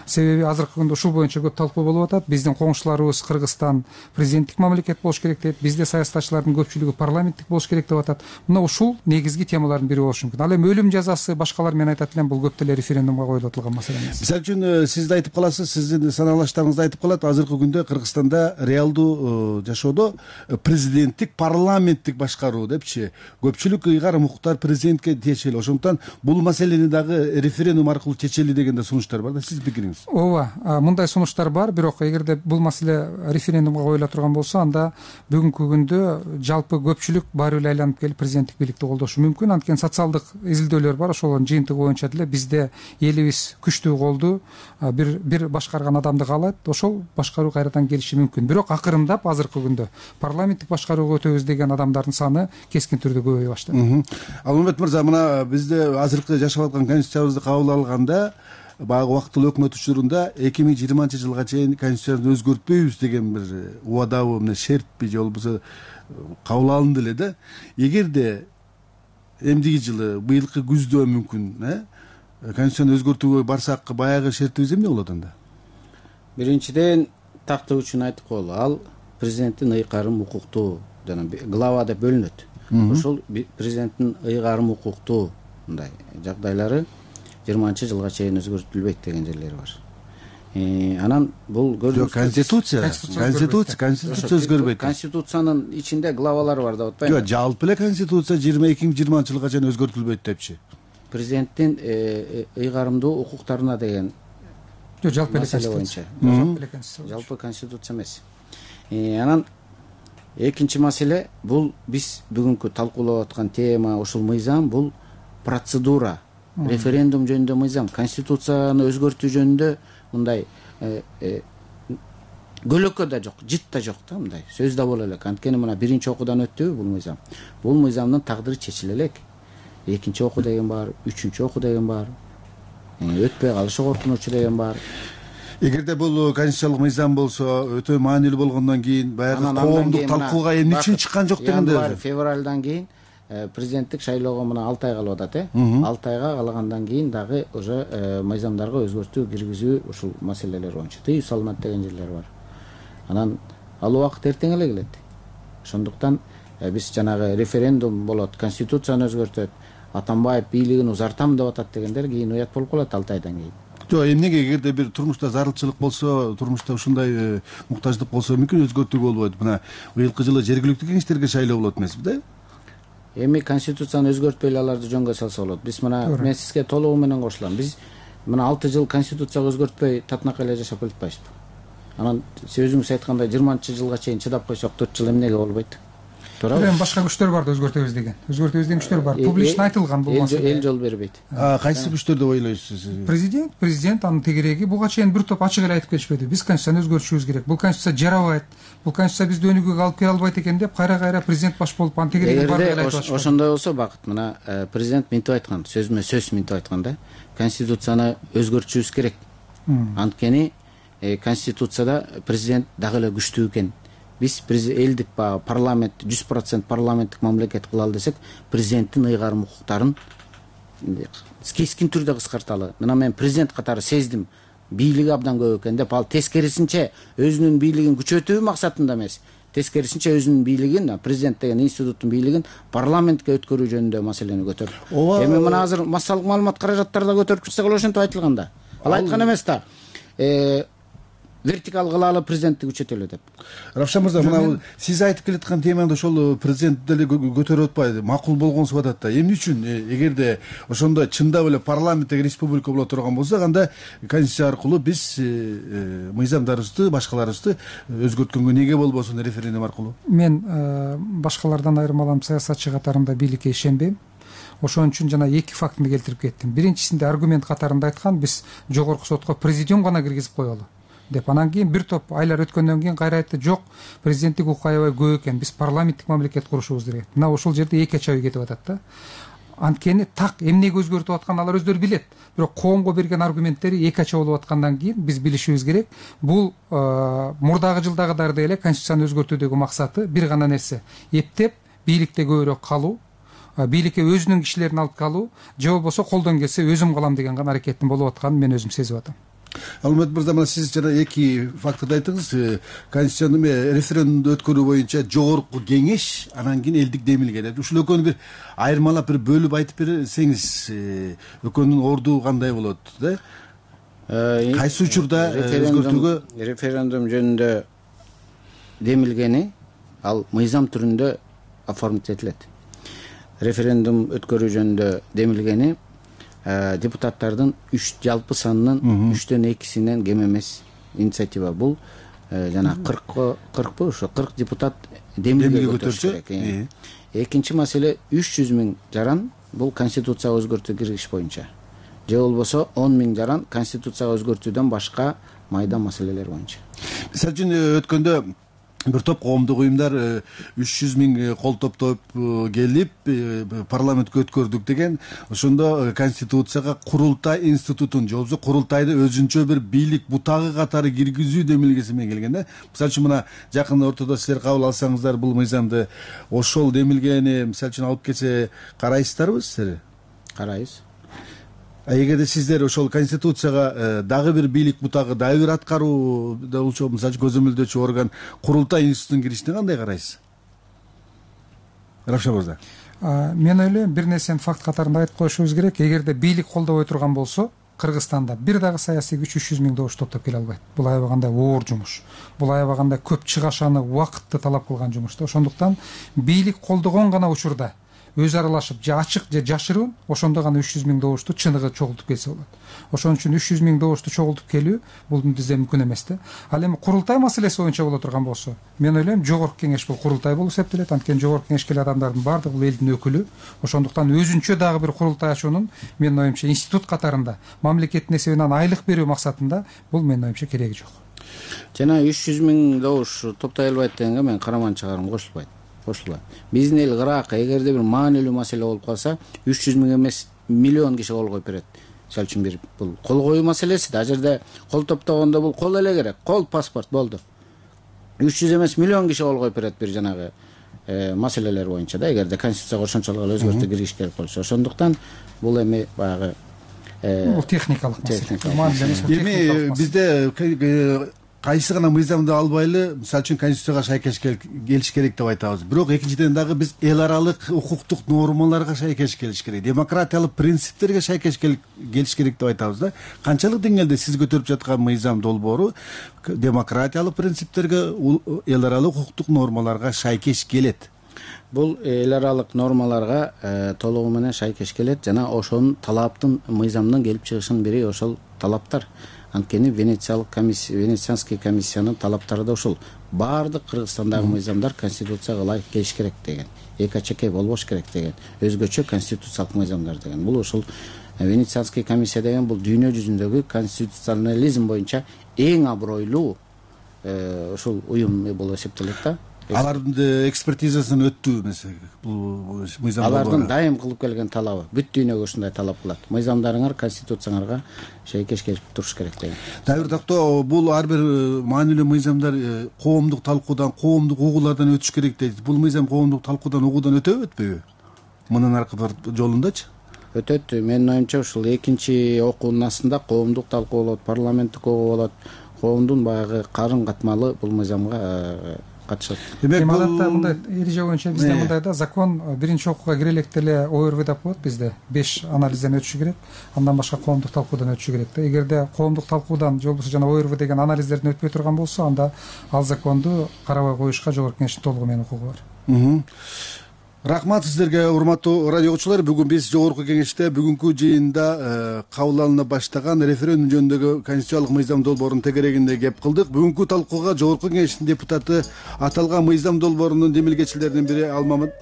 Себеби азыркы күндө ушул боюнча көп талкуу болуп атат. Биздин коңшуларыбыз Кыргызстан президенттик мамлекет болуш керек дейт. Бизде саясатчылардын көпчүлүгү парламенттик болуш керек деп атат. Мына ушул негизги темалардын бири болушу мүмкүн. Ал эми өлүм жазасы, башкалар менен айтат элем, бул көп деле референдумга коюлуп атылган маселе эмес. Мисалы үчүн сиз да айтып каласыз, сиздин саналаштарыңыз да айтып калат, азыркы күндө Кыргызстанда реалдуу жашоодо президенттик, парламенттик башкаруу депчи көпчүлүк ыйгарым укуктар президентке тиешелүү. Ошондуктан бул маселени дагы референдум аркылуу чечели деген да сунуштар бар да. Сиздин пикириңиз? Ооба, мындай сунуштар бар, бирок эгерде бул маселе референдумга коюла турган болсо, анда бүгүнкү күндө жалпы көпчүлүк баары эле айланып келип президенттик бийликти колдошу мүмкүн. Анткени социалдык изилдөөлөр бар, ошолордун жыйынтыгы боюнча деле бизде элибиз күчтүү колду бир башкарган адамды каалайт, ошол башкаруу кайрадан келиши мүмкүн. Бирок акырындап азыркы күндө парламенттик башкарууга өтөбүз деген адамдардын саны кескин түрдө көбөйө баштады. Алмамбет мырза, мына бизде азыркы жашап аткан конституциябызды кабыл алганда баягы убактылуу өкмөт учурунда 2020 жылга чейин конституцияны өзгөртпөйбүз деген бир убадабы, мына шертпи же болбосо кабыл алынды эле да. Эгерде эмдиги жылы быйылкы күздө мүмкүн конституцияны өзгөртүүгө барсак, баягы шертибиз эмне болот анда? Биринчиден тактоо үчүн айтып коелу, ал президенттин ыйгарым укуктуу жана глава деп бөлүнөт. Ошол президенттин ыйгарым укуктуу мындай жагдайлары 20 жылга чейин өзгөртүлбөйт деген жерлери бар. Анан бул конституция өзгөрбөйт. Конституциянын ичинде главалар бар деп атпайбы? Жок, жалпы эле конституция 2020 жылга чейин өзгөртүлбөйт депчи. Президенттин ыйгарымдуу укуктарына деген жалпы жалпы конституция эмес. Анан экинчи маселе, бул биз бүгүнкү талкуулап аткан тема, ушул мыйзам, бул процедура, референдум жөнүндө мыйзам. Конституцияны өзгөртүү жөнүндө мындай көлөкө да жок, жыт да жок да, мындай сөз да боло элек. Анткени мына биринчи окуудан өттүбү бул мыйзам. Бул мыйзамдын тагдыры чечиле элек. Экинчи окуу деген бар, үчүнчү окуу деген бар. Өтпөй калышы коркунучу деген бар. Эгерде бул конституциялык мыйзам болсо, өтө маанилүү болгондон кийин баягы коомдук талкууга эмне үчүн чыккан жок дегенде февралдан кийин президенттик шайлоого мына 6 ай калып атат, 6 айга калгандан кийин дагы уже мыйзамдарга өзгөртүү киргизүү ушул маселелер боюнча тыюу салынат деген жерлер бар. Анан ал убакыт эртең эле келет. Ошондуктан биз жанагы референдум болот, конституцияны өзгөртөт, Атамбаев бийлигин узартам деп атат дегендер кийин уят болуп калат 6 айдан кийин. Жок, эмнеге, эгерде бир турмушта зарылчылык болсо, турмушта ушундай муктаждык болсо мүмкүн өзгөртүүгө болбойт. Мына быйылкы жылы жергиликтүү кеңештерге шайлоо болот эмеспи да? Эми конституцияны өзгөртпөй эле аларды жөнгө салса болот. Биз мына мен сизге толугу менен кошулам. Биз мына 6 жыл конституцияга өзгөртпөй татынакай эле жашап келатпайбызбы? Анан сиз өзүңүз айткандай 20-жылга чейин чыдап койсок 4 жыл эмнеге болбойт? Туурабы? Эми башка күчтөр бар да өзгөртөбүз деген. Өзгөртөбүз деген күчтөр бар. Публично айтылган бул маселе. Эл жол бербейт. Кайсы күчтөр деп ойлойсуз? Президент, анын тегереги буга чейин бир топ ачык эле айтып келишпеди. Биз конституцияны өзгөртүшүбүз керек. Бул конституция жарабайт. Бул конституция бизди өнүгүүгө алып келе албайт экен деп кайра президент баш болуп анын тегереги бар эле айтып атышат. Ошондой болсо Бакыт, мына президент мынтип айткан, сөзмө сөз мынтип айткан да. Конституцияны өзгөртүшүбүз керек. Анткени конституцияда президент дагы эле күчтүү экен. Биз элдик парламент 100% парламенттик мамлекет кылалы десек, президенттин ыйгарым укуктарын кескин түрдө кыскарталы. Мына мен президент катары сездим, бийлиги абдан көп экен деп, ал тескерисинче өзүнүн бийлигин күчөтүү максатында эмес, тескерисинче өзүнүн бийлигин, президент деген институттун бийлигин парламентке өткөрүү жөнүндө маселени көтөрдү. Эми мына азыр массалык маалымат каражаттары да көтөрүп чыкса ошентип айтылган да. Ал айткан эмес да. вертикал кылалы, президентти күчөтөлү деп. Равшан мырза, мына сиз айтып келаткан теманы ошол президент деле көтөрүп атпайбы, макул болгонсуп атат да. Эмне үчүн эгерде ошондо чындап эле парламенттик республика боло турган болсо, анда конституция аркылуу биз мыйзамдарыбызды, башкаларыбызды өзгөрткөнгө эмнеге болбосун референдум аркылуу? Мен башкалардан айырмаланып саясатчы катарында бийликке ишенбейм. Ошон үчүн жана эки фактыны келтирип кеттим. Биринчисинде аргумент катарында айткан, биз жогорку сотко президиум гана киргизип коелу деп. Анан кийин бир топ айлар өткөндөн кийин кайра айтты, жок, президенттик укук аябай көп экен, биз парламенттик мамлекет курушубуз керек. Мына ошол жерде эки ача ой кетип атат да. Анткени так эмнеге өзгөртүп атканын алар өздөрү билет. Бирок коомго берген аргументтери эки ача болуп аткандан кийин биз билишибиз керек. Бул мурдагы жылдагыдай эле конституцияны өзгөртүүдөгү максаты бир гана нерсе: эптеп бийликте көбүрөөк калуу, бийликке өзүнүн кишилерин алып калуу, же болбосо колдон келсе өзүм калам деген гана аракеттин болуп атканын мен өзүм сезип атам. Алмат мырза, мына сиз жана эки фактты айттыңыз. Конституцияны референдумду өткөрүү боюнча жогорку кеңеш, анан кийин элдик демилге деп. Ушул экөөнү бир айырмалап бир бөлүп айтып берсеңиз, экөөнүн орду кандай болот да? Кайсы учурда өзгөртүүгө? Референдум жөнүндө демилгени ал мыйзам түрүндө оформить этилет. Референдум өткөрүү жөнүндө демилгени депутаттардын жалпы санынын 3/2 кем эмес инициатива. Бул жана 40 ошо 40 депутат демилге көтөрсө керек. Экинчи маселе 300 000 жаран бул конституцияга өзгөртүү киргизиш боюнча. Же болбосо 10 000 жаран конституцияга өзгөртүүдөн башка майда маселелер боюнча. Мисалы үчүн өткөндө бир топ коомдук уюмдар 300 000 кол топтоп келип парламентке өткөрдүк деген, ошондо конституцияга курултай институтун же болбосо курултайды өзүнчө бир бийлик бутагы катары киргизүү демилгеси менен келген да. Мисалы үчүн мына жакын ортодо силер кабыл алсаңыздар бул мыйзамды, ошол демилгени мисалы үчүн алып келсе карайсыздарбы силер? Карайбыз. Эгерде сиздер ошол конституцияга дагы бир бийлик бутагы, дагы бир аткаруу болчу, мисалы көзөмөлдөөчү орган курултай институтунун киришине кандай карайсыз? Равшан мырза. Мен ойлойм, бир нерсени факт катарында айтып коюшубуз керек. Эгерде бийлик колдобой турган болсо, Кыргызстанда бир дагы саясий күч 300 000 добуш топтоп келе албайт. Бул аябагандай оор жумуш. Бул аябагандай көп чыгашаны, убакытты талап кылган жумуш да. Ошондуктан бийлик колдогон гана учурда өзү аралашып, же ачык же жашыруун, ошондо гана 300 000 добушту чыныгы чогултуп келсе болот. Ошон үчүн 300 000 добушту чогултуп келүү бул бизде мүмкүн эмес да. Ал эми курултай маселеси боюнча боло турган болсо, мен ойлойм жогорку кеңеш бул курултай болуп эсептелет. Анткени жогорку кеңешке келген адамдардын баардыгы бул элдин өкүлү. Ошондуктан өзүнчө дагы бир курултай ачуунун менин оюмча институт катарында мамлекеттин эсебинен айлык берүү максатында бул менин оюмча кереги жок. Жана 300 000 добуш топтой албайт дегенге мен караман чыгарым кошулбайт. Биздин эл кыраак, эгерде бир маанилүү маселе болуп калса, 300 000 эмес миллион киши кол коюп берет. Мисалы үчүн бир бул кол коюу маселеси да. Ал жерде кол топтогондо бул кол эле керек. Кол паспорт болду. 300 эмес миллион киши кол коюп берет бир жанагы маселелер боюнча да. Эгерде конституцияга ошончолук эле өзгөртүү киргизиш керек болсо, ошондуктан бул эми баягы техникалык маселе. Эми бизде кайсы гана мыйзамды албайлы, мисалы үчүн конституцияга шайкеш келиш керек деп айтабыз. Бирок экинчиден дагы биз эл аралык укуктук нормаларга шайкеш келиш керек, демократиялык принциптерге шайкеш келиш керек деп айтабыз да. Канчалык деңгээлде сиз көтөрүп жаткан мыйзам долбоору демократиялык принциптерге, эл аралык укуктук нормаларга шайкеш келет? Бул эл аралык нормаларга толугу менен шайкеш келет жана ошонун талаптын мыйзамдын келип чыгышынын бири ошол талаптар. Анткени Венецианский комиссиянын талаптары да ушул. Баардык Кыргызстандагы мыйзамдар конституцияга ылайык келиш керек деген, эки ачакей болбош керек деген, өзгөчө конституциялык мыйзамдар деген. Бул ушул Венецианский комиссия деген бул дүйнө жүзүндөгү конституционализм боюнча эң абройлуу ушул уюм болуп эсептелет да. Алардын экспертизасын өттү эмес бул мыйзам. Алардын дайым кылып келген талабы, бүт дүйнөгө ушундай талап кылат. Мыйзамдарыңар конституцияңарга шейкеш келип туруш керек деген. Дайыр тактоо бул ар бир маанилүү мыйзамдар коомдук талкуудан, коомдук угуулардан өтүш керек дейт. Бул мыйзам коомдук талкуудан, угуудан өтөбү өтпөйбү? Мунун аркы жолундачы? Өтөт. Менин оюмча ушул экинчи окуунун астында коомдук талкуу болот, парламенттик угуу болот. Коомдун баягы карын катмалы бул мыйзамга катышат. Демек адатта мындай эреже боюнча бизде мындай да закон биринчи окууга кире электе эле ОРВ деп коет бизде 5 анализден өтүшү керек, андан башка коомдук талкуудан өтүшү керек да. Эгерде коомдук талкуудан же болбосо жана ОРВ деген анализдерден өтпөй турган болсо, анда ал законду карабай коюшка жогорку кеңештин толугу менен укугу бар. Рахмат сиздерге, урматтуу радио окуучулар. Бүгүн биз жогорку кеңеште бүгүнкү жыйында кабыл алына баштаган референдум жөнүндөгү конституциялык мыйзам долбоорунун тегерегинде кеп кылдык. Бүгүнкү талкууга жогорку кеңештин депутаты, аталган мыйзам долбоорунун демилгечилеринин бири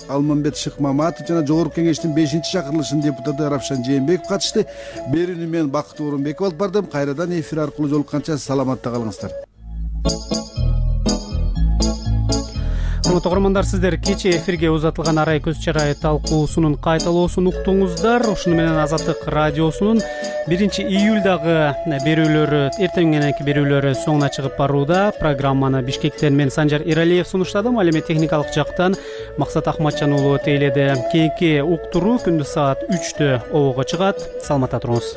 Алмамбет Шыкмаматов жана жогорку кеңештин 5-чакырылышынын депутаты Равшан Жээнбеков катышты. Берүүнү мен Бакыт Орунбеков алып бардым. Кайрадан эфир аркылуу жолукканча саламатта калыңыздар. Урматтуу угармандар, сиздер кечээ эфирге узатылган арай көз чарай талкуусунун кайталоосун уктуңуздар. Ушуну менен Азаттык радиосунун 1-июлдагы берүүлөрү, эртең мененки берүүлөрү соңуна чыгып барууда. Программаны Бишкектен мен Санжар Иралиев сунуштадым. Ал эми техникалык жактан Максат Ахматжан уулу тейледи. Кийинки уктуруу күндүз саат 3-тө обого чыгат. Саламатта туруңуз.